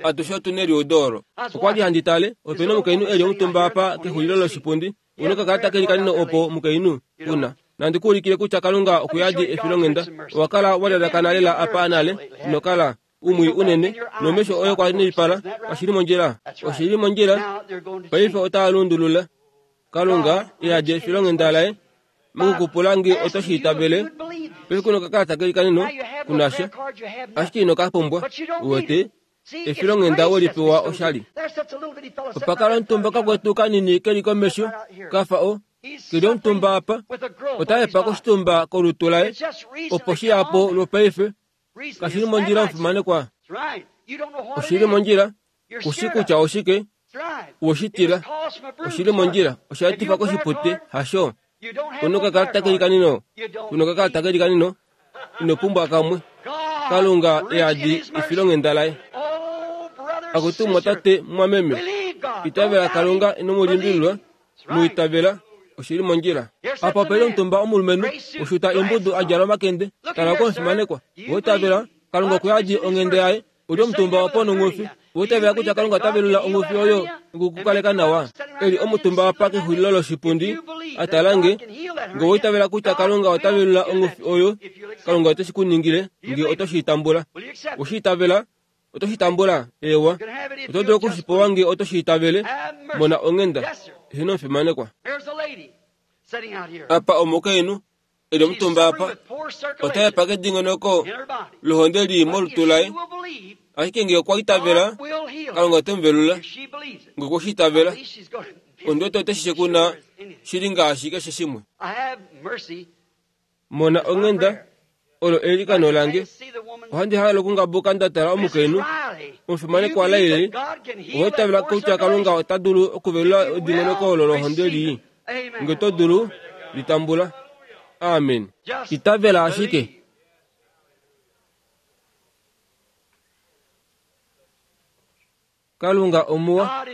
Atushe otu neliudo olo. Okwa li handi tale, opena omukainhu eli omutumba apa kexulilo loshipundi. Una okakalata keli kanino opo mukainhu una. Nandi kuulikile kutya Kalunga okuyadi efilonghenda. Owa kala wa lalakana lela apa nale, ino kala umwi unene nomesho oye kwa nilipala. Oshili mondjila, oshili mondjila. Paife otaa lundulula. Kalunga eyadi efilonghenda laye mokukupula nge oto shi itavele. Paife kuna okakalata keli kanino kunasha, ashike ino ka pumbwa. Uwete efilonghenda welipewa oshali. Opakala omutumba kakwetu kanini keli komesho kafa o keli omutumba apa otaepa koshitumba kolutu laye opo shiyapo lwopaife. Kashili mondjila omufimanekwa. Oshili mondjila kushi kutya oshike woshitila. Oshili mondjila osha etifa koshipute hasho. Kuna okakalata keli kanino, kuna okakalata keli kanino, ino pumbwa kamwe. Kalunga eyadi efilonghenda laye. Akutumwa tate mwameme, itavela Kalunga ino mu limbililwa, mu itavela. Oshili mondjila. Apa opeli omutumba omulumenhu oshuta imbudu a djala omakende. Tala komufimanekwa. Oitavela Kalunga okuyadi onghenda yaye. Uli omutumba opo nonghufi. Oitavela kutya Kalunga ota velula onghufi oyo okukukaleka nawa. Eli omutumba apa kexulilo loshipundi atalange. Nge oitavela kutya Kalunga ota velula onghufi oyo, Kalunga ote shi ku ningile nge oto shi tambula. Oshi itavela, oto shi tambula, ewa. Oto dulu okushipewa nge oto shi itavele. Mona onghenda. Hino omufimanekwa. Apa omukainhu eli omutumba apa otaepa kedingonoko lohonde li molutu laye. Ashike nge okwa itavela, Kalunga ote mu velula. Nge okwe shi itavela, ondiwete ote shi kuna shili ngaashi keshe shimwe. Mona onghenda olo eilikano lange. Ohandi halele okungabuka nda tala omukainhu omufimanekwa Laili. Oitavela kutya Kalunga ota dulu okuvelula edingonoko olo lohonde lii. Nge to dulu litambula. Amen. Itavela ashike. Kalunga omuwa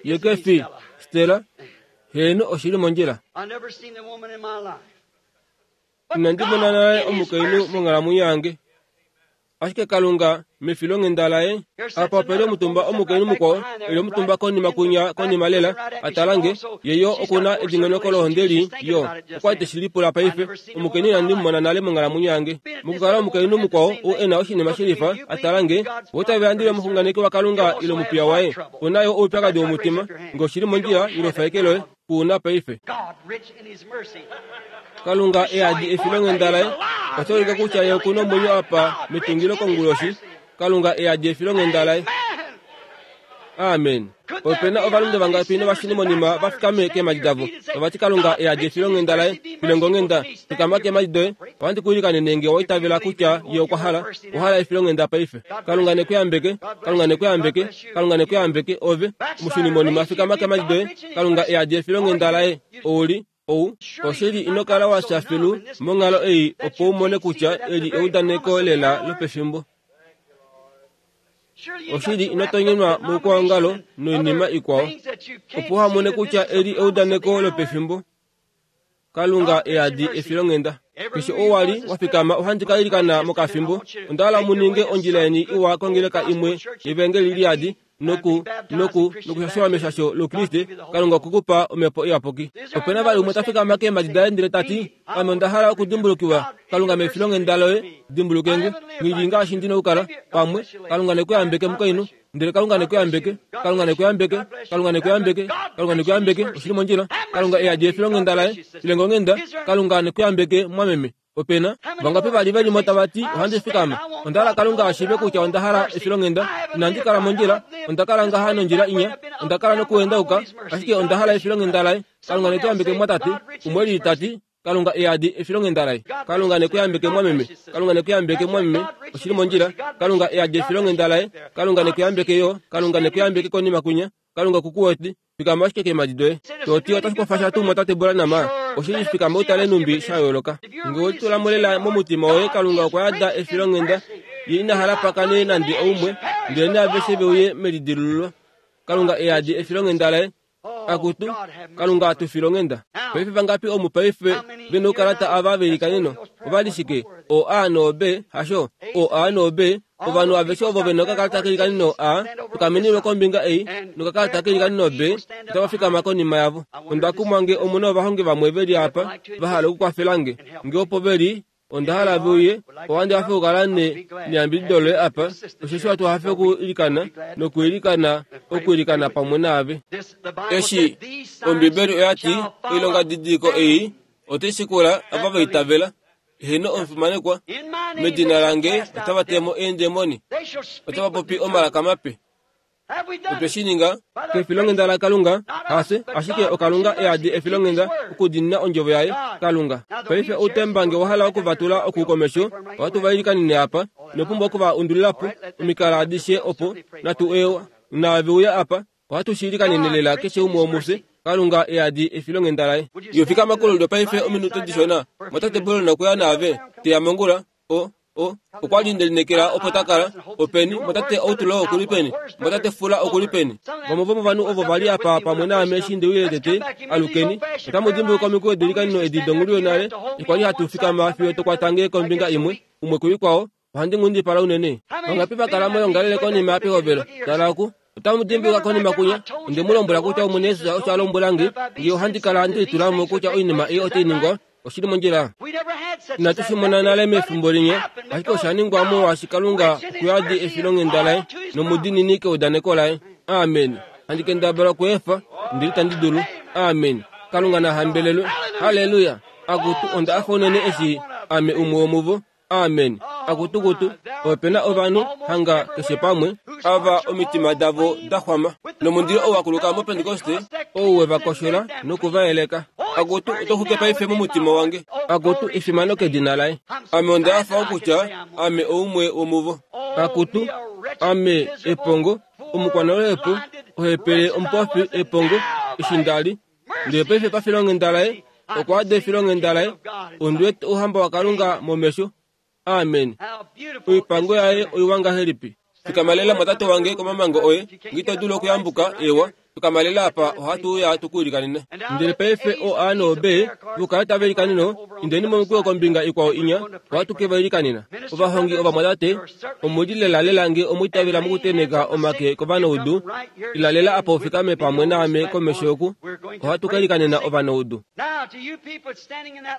ye ke fi Stella. Heeno oshili mondjila. Inandi mona nale omukainhu monghalamwenyo yange. Ashike Kalunga mefilonghenda laye apa opeli omutumba omukainhu mukwao eli omutumba konima kunya konima lela atalange yeyo okuna edingonoko lohonde yo okwa teshilipula paife omukainhu inandi mumona nale monghalamwenyo yange mokukala omukainhu mukwao ou ena oshinima shilifa atalange wotavela omuxunganeki waKalunga ile omupiya waye onayo oupyakadi womutima ngoshili mondjila ilofaeke loye kuuna paife Kalunga eadi efilonghenda laye otolika kutya ye okuna omwenyo apa metungilo konguloshi Kalunga eadi efilonghenda laye. Amen. Opena ovalunde vangapi novashini monima vafikame keemadi davo ovati Kalunga eadi efilonghenda laye filongonghenda fikama keemadi doye ohandi kuilikanene nge owaitavela kutya ye okwa hala ohala efilonghenda paife Kalunga nekuyambeke Kalunga nekuyambeke Kalunga nekuyambeke ove omushini monima fikama keemadi doye Kalunga eadi efilonghenda laye ouli ou oshili inokala wa filu monghalo ei opo umone kutya eli eudaneko lela lopefimbo oshili inotonyenwa moukwaongalo noinima ikwao opo hamone kutya eli eudaneko lopefimbo Kalunga eadi efilonghenda keshe owali wafikama ohandi kailikana mokafimbo ondahala muninge ondjila yeni iwa kongeleka imwe yevengeli liadi noku noku nokushashiwa meshasho lokriste Kalunga okukupa omhepo iyapuki opena vali umwe tafikama keemadi daye ndele tati ame onda hala okudimbulukiwa Kalunga mefilonghenda loye dimbulukenge ngili ngaashi ndina okukala pamwe Kalunga nekuyambeke mukainhu ndele Kalunga nekuyambeke Kalunga nekuyambeke Kalunga nekuyambeke Kalunga nekuyambeke oshili mondjila Kalunga eadi efilonghenda laye ilengonghenda Kalunga nekuyambeke mwameme opena vangapi vali velimo tavati ohandi fikama onda hala Kalunga ashiive kutya onda hala efilonghenda inandi kala mondjila onda kala ngaha nondjila inya onda kala nokuendauka ashike onda hala efilonghenda laye Kalunga nekuyambeke mwatate umwe lili tati Kalunga eadi efilonghenda laye Kalunga nekuyambeke mwameme Kalunga nekuyambeke mwameme oshili mondjila Kalunga eadi efilonghenda laye Kalunga nekuyambeke yo Kalunga nekuyambeke konima kunya Kalunga kukuweti fikama ashike keemadi doye toti otashi tuu mwatate Branham oshili fikama utale numbi sha yooloka nge otulamolela momutima woye Kalunga okwa yada efilonghenda ye inahala pakane nande oumwe ndele naaveshe veuye melidilululo Kalunga eadi efilonghenda laye akutu Kalunga atufilonghenda paife vangapi omu paife vena oukalata ava velikaneno ovali shike o A no B hasho o A no B ovanhu aveshe ovo vena okakalata kelikaneno A tukamenilwe kombinga ei nokakalata kelikaneno B otava fikama konima yavo onda kumwa nge omuna ovahongi vamwe veli apa vahala okukwafelange nge opo veli onda hala veuye ohandi hafe okukala neyambidido loye apa osheshi watu hafe okuilikana nokuilikana okuilikana pamwe naave eshi Ombibeli oyati oilonga didiko ei otai shikula ava vaitavela heno omufimanekwa medina lange otava temo eendemoni otava popi omalaka mape otwe shi ninga kefilonghenda laKalunga hase ashike oKalunga eadi efilonghenda okudinina ondjovo yaye Kalunga paife outembange wahala okuvatula okukomesho ohatu vailikanene apa nopumbwa okuva undulilapo omikala adishe opo natu ewa naave uya apa ohatu shiilikanene lela keshe umwe womufye Kalunga eadi efilonghenda laye yofikama kolulyo paife ominute dishona mwatate Branham nokuya naave teya mongula o o okwali ndelinekela opo takala openi mwatate Outlaw okuli peni mwatate Fula okuli peni vamwe vomovanhu ovo vali apa pamwe naame eshi ndeuile tete alukeni otamu dimbuluka omikweyo delikanino edi dongulu yonale okwali hatu fikama fiyo tokwatange kombinga imwe umwe kuikwao ohandi ngundipala unene vangapi vakala moyongalele konima yapehovelo tala oku otamu dimbuluka konima kunya onde mu lombwela kutya Omwene Yesus osho a lombwelange nge ohandi kala ndilitulamo kutya oinima ei otai ningwa oshili mondjila inatu shi mona nale mefimbo linye ashike osha ningwa molwaashi Kalunga okuyadi efilonghenda laye nomudinini keudaneko laye amen handi kendabala okuefa ndili tandi dulu amen Kalunga nahambelelwe haleluya akutu onda afa unene eshi ame umwe womuvo amen akutukutu opena ovanhu hanga keshe pamwe ava omitima davo daxwama nomundilo ou wakuluka mopentekoste ou wevakoshola nokuvaeleka akutu otoxuke paife momutima wange akutu efimano kedina laye ame onda afa okutya ame oumwe womuvo akutu ame epongo omukwanaloepo ohepele omupofi epongo eshi ndali ndele paife pafilonghenda laye okwa ada efilonghenda laye ondiwete ouhamba waKalunga momesho amen oipango yaye oiwa ngahelipi Fikamalela mwatate wange komamango oye, ngito dulu okuyambuka ewa. Fikamalela apa ohatu uya tukuilikanene. Ndele paife o A no B vukala tava ilikaneno, indeni momukweyo kombinga ikwao inya, ohatu ke va ilikanena. Ovahongi ovamwatate, omuli lelalela nge omwiitavela mokuteneka omake kovanaudu, ilalela apa ufikame pamwe naame komesho oku, ohatu ka ilikanena ovanaudu.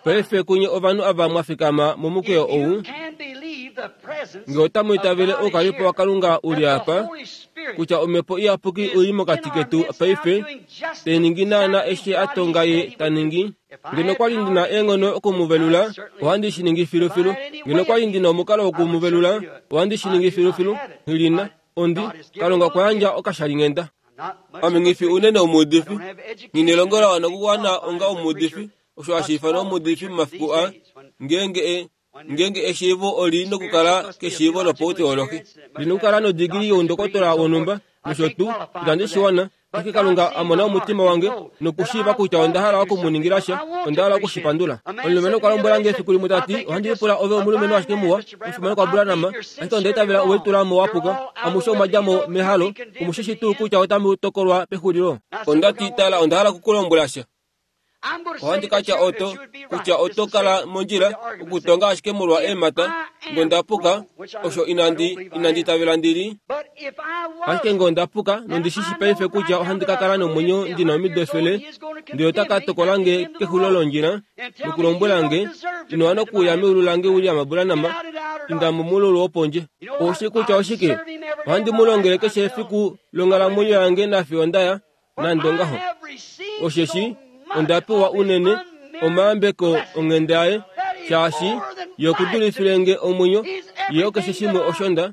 Paife kunye ovanhu ava mwafikama momukweyo ou, nge otamu itavele oukalipo waKalunga uli apa, kutya omhepo iyapuki oi mokati ketu paife, te ningi naana eshi a tonga ye ta ningi. Ngeno kwali ndina eenghono okumuvelula, ohandi shi ningi filufilu. Ngeno kwali ndina omukalo wokumuvelula, ohandi shi ningi filufilu. Nghilina, ondi, Kalunga okwa yandja okashalinghenda. Ame nghifi unene omuudifi, nghinelongo la wana okuwana onga omuudifi, osho hashi ifanwa omuudifi momafiku a, ngeenge e ngeenge eshiivo oli nokukala keshiivo lopauteolohi, li nokukala nodigili youndokotola wonhumba nosho tuu, itandi shi wana. Ashike Kalunga a mona omutima wange nokushiiva kutya onda hala okumuningila sha, onda hala okushipandula. Omulumenhu okwa lombwela nge efiku limwe ta ti, ohandi lipula ove omulumenhu ashike muwa, omufimanekwa kwaBranham, ashike onda itavela owe litula mo wa puka, amushe omwa dja mo mehalo, omushishi tuu kutya otamu tokolwa pexulilo. Onda ti, tala, onda hala okukulombwela sha. Ohandi ka tya oto, kutya oto kala mondjila okutonga ashike molwa eemhata, nge onda puka, osho inandi inandi itavela ndili. Ashike nge onda puka, nondi shi shi paife kutya ohandi ka kala nomwenyo ndina omido efele, ndele ota ka tokola nge kexulilo londjila, nokulombwela nge, ino wana okuuya meulu lange William Branham, inda momululu wopondje. Oushi kutya oshike? Ohandi mu longele keshe efiku longhalamwenyo yange nafiyo ndaya, nande ongaho. Osheshi onda pewa unene omayambeko onghenda yaye, shaashi ye okudulifile nge omwenyo, ye okeshe shimwe osho nda,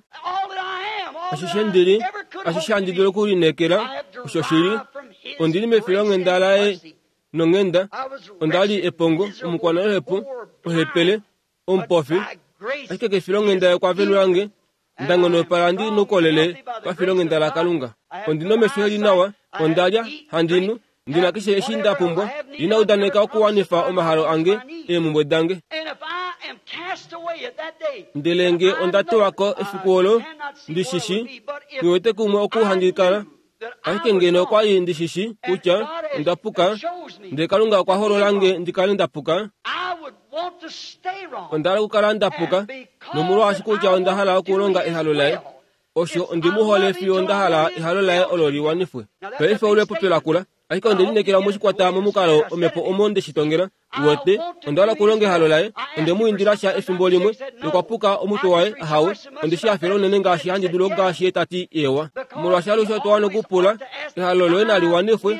ashishe ndili, ashishe handi dulu okulineekela, osho shili, ondili mefilonghenda laye nonghenda. Onda li epongo, omukwanaluhepo, ohepele, omupofi, ashike kefilonghenda ye okwa velula nge, nda ngonopala ndi noukolele pafilonghenda laKalunga. Ondi nomesho eli nawa, onda lya, handi nu, ndina keshe eshi nda pumbwa, ina udaneka okuwanifa omahalo ange, eemhumbwe dange. Ndele nge onda tewa ko efiku olo, ndi shishi, ngiwete kumwe oku handi kala, ashike ngeno okwa li ndi shishi kutya onda puka, ndele Kalunga okwa holola nge ndi kale nda puka, onda hala okukala nda puka, nomolwaashi kutya onda hala okulonga ehalo laye. Osho ondi mu hole fiyo onda hala ehalo laye olo liwanifwe. Paife olo epopyo lakula, ashike onde lineekela moshikwata momukalo omhepo omo nde shi tongela. Uwete, onda hala okulonga ehalo laye. Onde mu indila sha efimbo limwe, nokwa puka omutwe waye, ahawe. Onde shi hafela unene ngaashi handi dulu ngaashi ye ta ti ewa. Molwaashi alushe otwa wana okupula, ehalo loye nali wanifwe,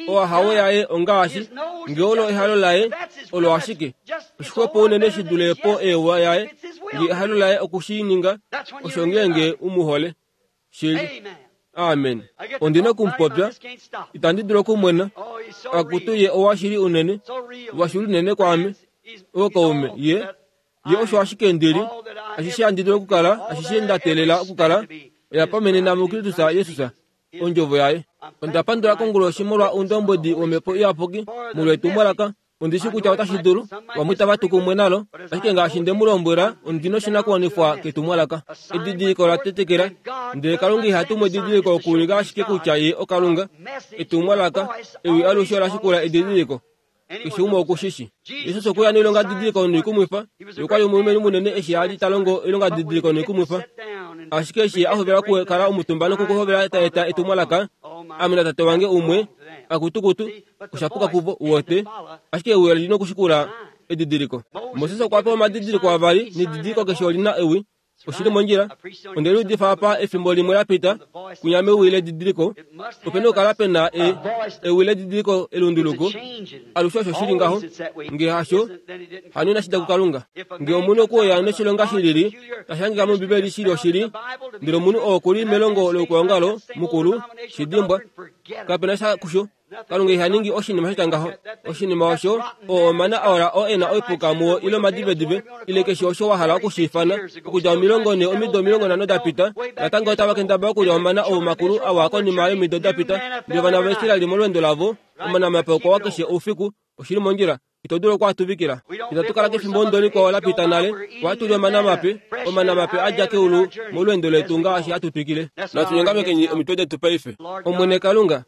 oahawe yaye ongaashi, nge olo ehalo laye, olo ashike. Oshixwepo unene shi dule po ewa yaye, nge ehalo laye oku shi ninga, osho ngeenge u mu hole. Shili. Amen. Ondi na okumupopya, itandi dulu okumwena, akutu ye owashili unene, washili unene kwaame, ookaume, ye, ye osho ashike ndili, ashishe handi dulu okukala, ashishe nda teelela okukala, oya pamenena muKristus Jesus, ondjovo yaye. Onda pandula konguloshi molwa oundombwedi womhepo iyapuki, molwa etumwalaka. Ondi shi kutya otashi dulu, vamwe itava tu kumwe nalo, ashike ngaashi nde mu lombwela, ondi noshinakuwanifwa ketumwalaka. Edidiliko la tetekela, ndele Kalunga iha tumu edidiliko okuulika ashike kutya ye oKalunga. Etumwalaka, ewi alushe ola shikula edidiliko. Keshe umwe okushishi. Jesus okwe ya noilonga didiliko noikumwifa, ye okwa li omulumenhu munene eshi a li ta longo oilonga didiliko noikumwifa. Ashike eshi a hovela okukala omutumba nokuhovela ta eta etumwalaka, ame natate wange umwe, akutukutu, osha puka kuvo, uwete, ashike ewi oli nokushikula edidiliko. Moses okwa pewa omadidiliko avali, nedidiliko keshe oli na ewi. Oshili mondjila. Onde liudifa apa efimbo limwe la pita, kunya mewi ledidiliko, ope na okukala pe na e, ewi ledidiliko elunduluko. Alushe osho shili ngaho. Nge hasho, hano inashi da kuKalunga. Nge omunhu okuuya noshilonga shilili, tashi hangika mOmbibeli shili oshili, ndele omunhu oo okuli melongo loukwaongalo mukulu, shi dimbwa, kape na sha kusho. Kalunga iha ningi oshinima sha tya ngaho. Oshinima osho, oo omana aola oo e na oipuka muo ile omadivedive, ile keshe osho wa hala okushi ifana, okudja omilongo ne omido omilongo nhano da pita, natango otava kendabala okulya omana oo makulu awa konima yomido da pita. Ndele ovana vaIsrael molweendo lavo, omana mape okwa wa keshe oufiku, Oshili mondjila. Ito dulu okuatuvikila. Itatu kala kefimbo ondoliko la pita nale. Ohatu li omana mape, omana mape a dja keulu molweendo letu ngaashi hatu twikile. Natu nyongamekeni omitwe detu paife. Omwene Kalunga,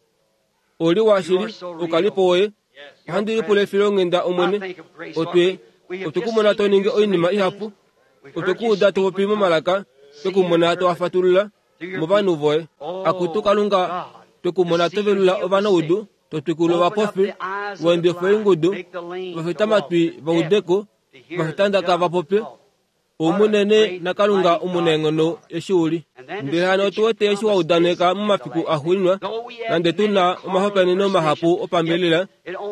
oli washili, ukalipo woye. Ohandi lipula efilonghenda Omwene. Otwe otwe kumona to ningi oinima ihapu. Otwe kuuda to popi momalaka, twe kumona to wafatulula movanhu voye. Akutu Kalunga, twe kumona to velula ovanaudu, to twikula ovapofi, voendifa oingudu, vafitamatwi vaudeko, vafitandaka va popye. Omunene naKalunga omunaenghono eshi uli. Ndele hano otu wete eshi wa udaneka momafiku axuuninwa, nande tu na omahopaeneno mahapu opambelela,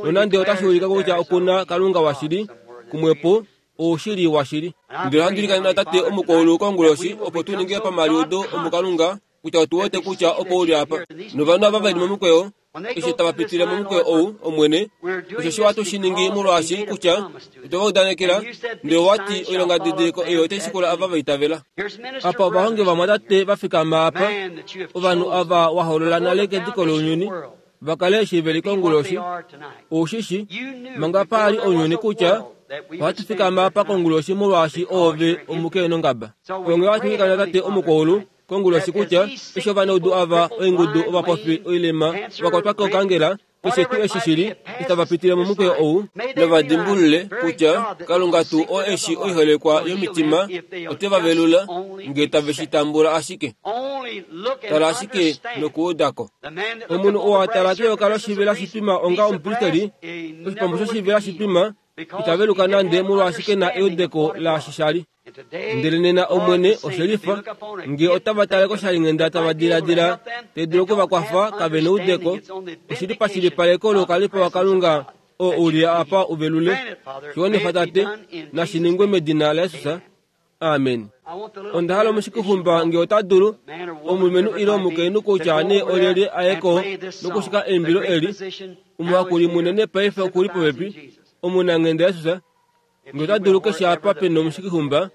nonande otashi ulika kutya okuna Kalunga washili, kumwepo oushili washili. Ndele ohandi ilikana Tate omukwaulu konguloshi opo tu ninge pamaliudo omuKalunga kutya otu wete kutya opo uli apa. Novanhu ava veli momukweyo, eshi tava pitile momukweyo ou, Omwene, osheshi watu shi ningi molwaashi kutya otwe va udanekela, ndele owati oilongadidiliko eyo otai shikula ava va itavela. Apa ovahongi vamwatate va fikama apa, ovanhu ava wa holola nale kediko lounyuni, va kale eshi veli konguloshi. Oushishi, manga paali ounyuni kutya ohatu fikama apa konguloshi molwaashi oove omukeenongaba. Onge ohatu ilikana Tate omukwaulu konguloshi kutya eshi ovanaudu ava oingudu ovapofi oilema vakwatwa kokangela, keshe tuu eshi shili itava pitile momukweyo ou, novadimbulule kutya Kalunga tuu oo eshi oiholekwa yomitima ote va velula nge tave shi tambula ashike. Tala ashike nokuudako. Omunhu oo a tala keyoka loshivela shitwima onga omupristeli, oshipambu shoshivela shitwima, ita veluka nande molwaashi ke na eudeko laashi shali. Ndele nena Omwene oshelifa nge otava tale koshalinghenda tava diladila te dulu okuvakwafa kave neudeko, oshili pashilipaleko loukalipo waKalunga oo uli apa uvelule. Shiwanifa Tate, nashi ningwe medina laJesus. Amen. Onda hala omushikihumba nge ota dulu, omulumenhu ile omukainhu kutya nee olyelye aye ko nokushika eimbilo eli. Omuhakuli munene paife okuli popepi, omunanghenda Jesus. Nge ota dulu keshe apa pena omushikihumba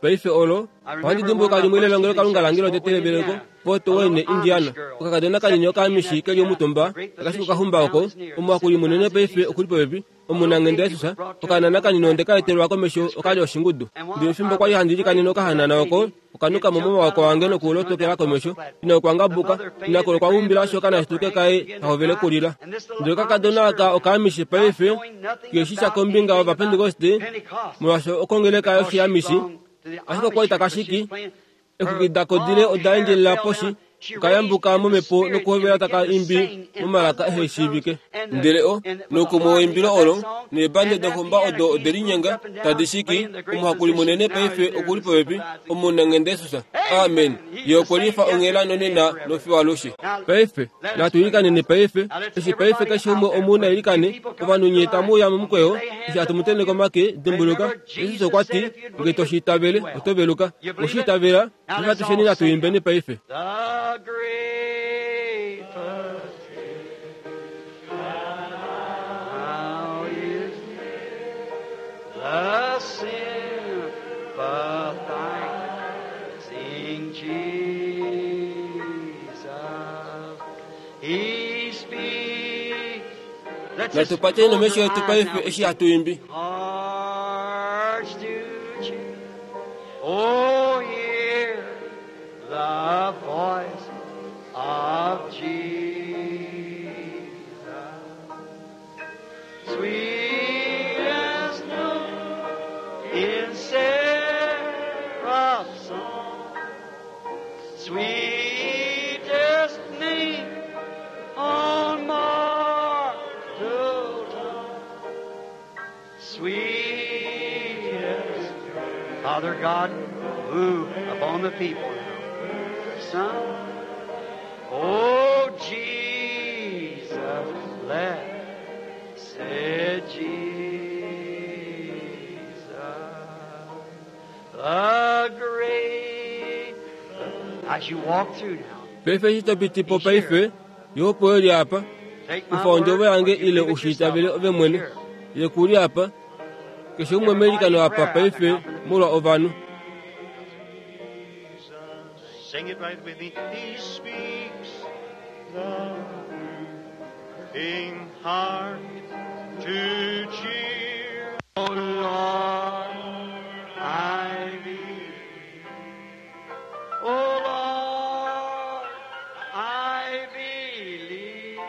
paife olo. Ohandi dimbuluka limwe lelongelo Kalunga lange lotete leveleko, Fort Wayne, Indiana. Okakadona kanini okaamishi keli omutumba, akashika okahumba oko. Omuhakuli munene paife okuli popepi, omunanghenda Jesus. Okanana kanini onde ka etelwa komesho okali oshingudu. Ndele fimbo kwali handi ilikanene okahanana oko, okanuka mo momawako ange nokulotokela komesho. Ina okwangabuka, ina kolo kwa umbila osho kanashituke kaye kahovele okulila. Ndele okakadona aka okaamishi paife keshisha kombinga yovapentekoste, molwaashi okongeleka yoshiamishi, ashike okwali takashiki, exwiki dakodile oda endjelela poshi, okayambuka momhepo nokuhovela taka imbi momalaka ehe shiivike. Ndele o nokumwe weimbilo olo, neebande dohumba odo ode linyenga tadi shiki, omuhakuli munene paife okuli popepi, omunanghenda Jesus. Amen. Ye okwe lifa onghela nonena nofiwalushe. Paife natu ilikaneni paife, eshi paife keshe umwe omuna ilikane, ovanhu nye tamu uya momukweyo, eshi hatu mu tenheke omake, dimbuluka, Jesus okwa ti, nge to shi itavele, oto veluka. Oshi itavela, natu natu imbeni paife. The great physician now is the sympathizing Jesus. He speaks. Let's just Natu pateni close omesho our yetu eyes paife now. eshi hatu imbi. Hearts to cheer. Oh, hear the voice of Jesus. Sweet as snow in seraph's song, sweetest name on mortal tongue. Sweetest Father God, move upon the people now. Son, oh Jesus, blessed Jesus, the great. As you walk through now, Paife eshi to piti po paife, ye opo eli apa, take my kufa ondjovo word, yange or you ile believe it ushi itavele yourself. ove mwene. Here. Ye kuli apa, keshe umwe meilikano apa paife molwa ovanhu. Sing it right with me. He speaks the moving heart to cheer. Oh Lord, I believe. Oh Lord, I believe.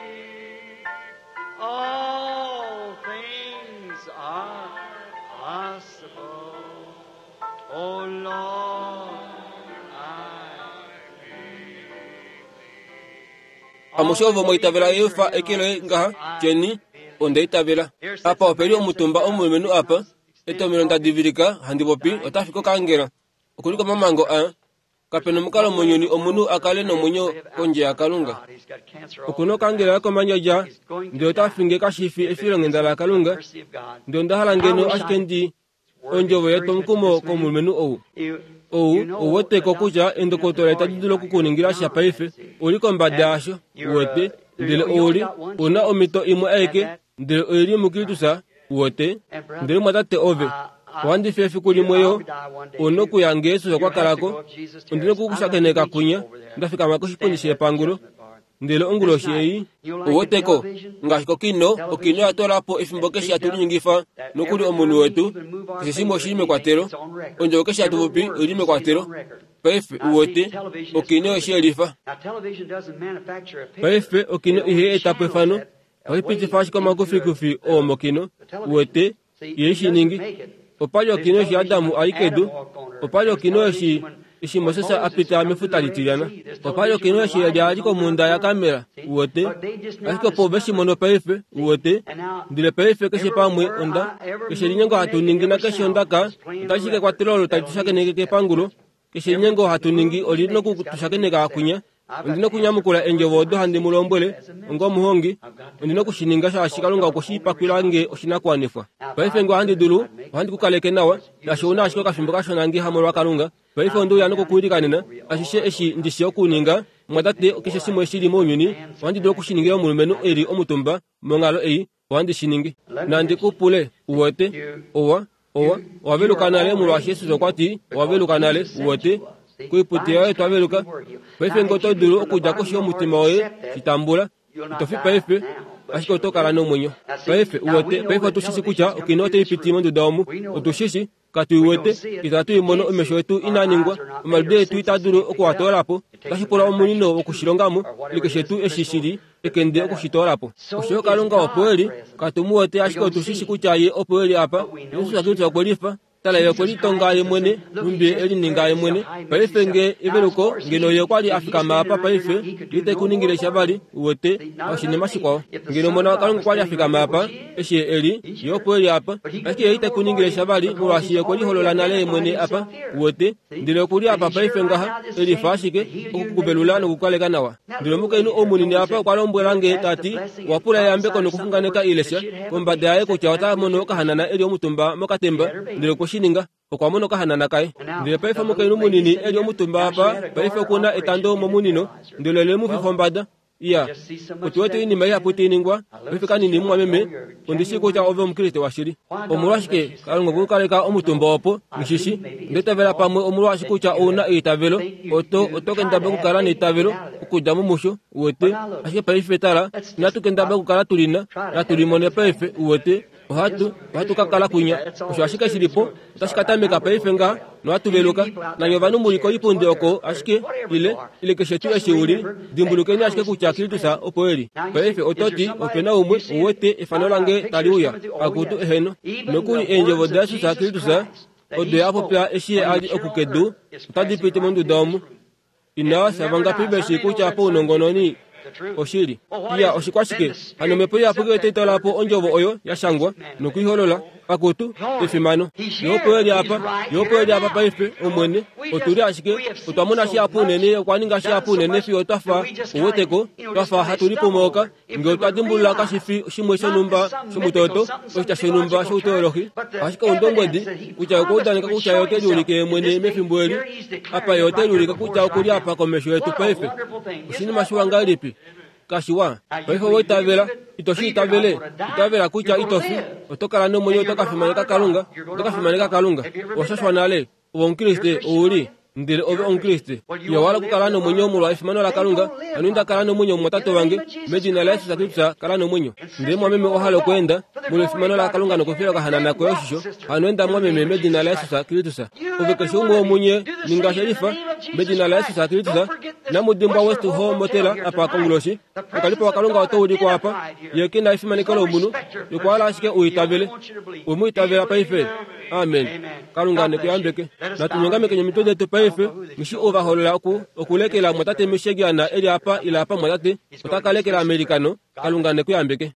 All things are possible. Oh Lord, I Amushe ovo mwaitavela yefa ekelo ngaha tyeni ondeitavela apa opeli omutumba omulumenhu apa etomelo ndadivilika handi popi ota fika okangela okuli komamango a kapena omukalo mounyuni omunhu akale nomwenyo kondje yakalunga He's got cancer all okuna okangela yakomandjadja ndele ota finge kashifi efilonghenda lakalunga mercy of God. ndele ondahala ngeno ashike ndi ondjovo yetwomukumo komulumenhu ou You, ou you know ouweteko the kutya doctor endokotola itali dulu okukuningila sha paife uli kombada yasho uwete ndele ouli una omhito imwe aike ndele oili mukilitusa uwete ndele mwatate ove ohandifi efiku limwe yo una okuya nge yesus okwa kalako ondina okukushakeneka kunya ndafikama koshipundi shepangulo ndele onguloshi ei ouweteko ngaashi kokino okino yatolapo efimbo keshe hatulinyengifa nokuli omunhu wetu keshe shimwe oshili mekwatelo ondjovo keshe hatupopi oili mekwatelo paife uwete okino oshiyelifa Now, television doesn't manufacture a picture. paife okino ihe etapo efano ohipitifa ashike omakufikufi oo mokino uwete ye shiningi opali okino eshi adamu ali kedu opali okino eshi eshi moses apita mefuta litilyana opali okino eshi elia ali komunda yakamela uwete ashike opo veshimono paife uwete ndele paife keshe pamwe onda keshe linyengo hatu ningi nakeshe ondaka otashi kekwatelo olo tali tushakeneke kepangulo keshe linyengo hatu ningi oli nokutushakeneka akunya ondina okunyamukula endjovo odo handi mu lombwele onga omuhongi ondina okushininga shaashi kalunga okweshipakwila nge oshinakuwanifwa paife nge ohandi dulu ohandi kukaleke nawa shaashi ouna ashike okafimbo kashona nge hamolwa kalunga paife ondiuya nokukuilikanena ashishe eshi ndishi okuninga mwatate keshe shimwe shili mounyuni ohandi dulu okushiningila omulumenhu eli omutumba monghalo ei ohandi shiningi nandi kupule uwete owa owa owaveluka nale molwaashi yesus okwa ti owaveluka nale uwete koiputi yoye twaveluka paife nge oto dulu okudja koshi yomutima woye shitambula itofi paife ashike oto kala nomwenyo paife uwete paife otushishi kutya okino otaipiti monduda omu otushishi katuiwete itatu imono omesho etu inaningwa omaludo etu ita dulu okuwatoolapo otashi pula omunino wokushilongamo ile shetu eshi shili ekende okushitoolapo oshoyo kalunga opo eli katumuwete ashike otushishi kutya ye opo eli apa yesus kristus okwe lifa tala ye okwe litonga ye mwene numbi elininga ye mwene paife nge eveluko ngeno ye okwali afikama apa paife ite kuningile sha vali uwete oshinima shikwao ngeno omona wakalunga okwali afikama apa eshi eli ye opo eli apa ashike ye ite kuningile sha vali molwaashi ye okwe liholola nale ye mwene apa uwete ndele okuli apa paife ngaha elifa ashike okukuvelula nokukaleka nawa ndele omukainhu omunini apa okwa lombwela nge tati wapula eyambeko nokuxunganeka ilesha kombada yaye kutya ota mono okahanana eli omutumba mokatemba ndele okwe shi ninga okwa mona okahanana kaye ndele paife omukainhu munini eli omutumba apa paife okuna etando momunino ndele le mu fifa ombada iya otuwete oinima ihapu tainingwa paife kanini mumwameme ondishi kutya ove omukriste washili omolwashike kalunga okukaleka omutumba opo ngishishi ndeitavela pamwe omolwashi kutya ouna eitavelo oto oto kendaba okukala neitavelo okudja mumusho uwete ashike paife tala inatu kendaba okukala tulina natulimone paife uwete ohatu ohatu kakala kunya osho ashike shilipo otashi katameka paife nga nohatuveluka nanye ovanhu muli koipundi oko ashike ile ile keshe tuu eshi uli dimbulukeni ashike kutya Kristus opo eli paife ototi opena umwe uwete efano lange tali uya akutu eheno nokuli eendjovo daYesus Kristus odo yapopya eshi ye ali okukedu otadi piti monduda omu inawa savangapi veshi kutya pounongononi oshili iya oshikwashike hano omhepo iyapuki otaitolapo ondjovo oyo yashangwa nokuiholola akutu efimano ye opo eli apa ye opo eli apa paife omwene otuli ashike otwa mona shihapu unene okwa ninga shihapu unene fiyo twafa ouweteko twafa hatu lipomooka nge otwa dimbulula kashifi shimwe shonhumba shomutoto oshitya shonhumba shouteolohi ashike oundombwedi kutya okwa udaneka kutya ye ote liulike ye mwene mefimbo eli apa ye ote liulike kutya okuli apa komesho yetu paife oshinima shiwa ngahelipi kashiwa paife owoitavela itoshi itavele itavela kutya itofi oto kala nomwenyo oto ka fimaneka kalunga oto ka fimaneka kalunga oshashwa nale ove omukriste ouli Ndele ove Omukriste, iwa okukala nomwenyo molwa efimano laKalunga. Hano inda kala nomwenyo mumwatate wange, medina laJesus Kristus kala nomwenyo. Ndele mwameme owa hala okweenda molwa efimano laKalunga nokufila okahanana koye oshisho, hano enda mwameme medina laJesus Kristus. Ove keshe umwe womunye ninga shelifa medina laJesus Kristus. Namudimbwa West Hall Motel apa konguloshi. Okalipo waKalunga otau ulikwa apa. Ye ke na efimaneko lomunhu, okwa hala ashike uitavele. We mu itavela paife. Amen. Kalunga nekuyambeke. Natunyongameke nyomitwe detu paife. Ngishi ovaholola oku okulekela mwatate Michigan eli apa ila apa mwatate. Otakalekela Amerikano. Kalunga nekuyambeke.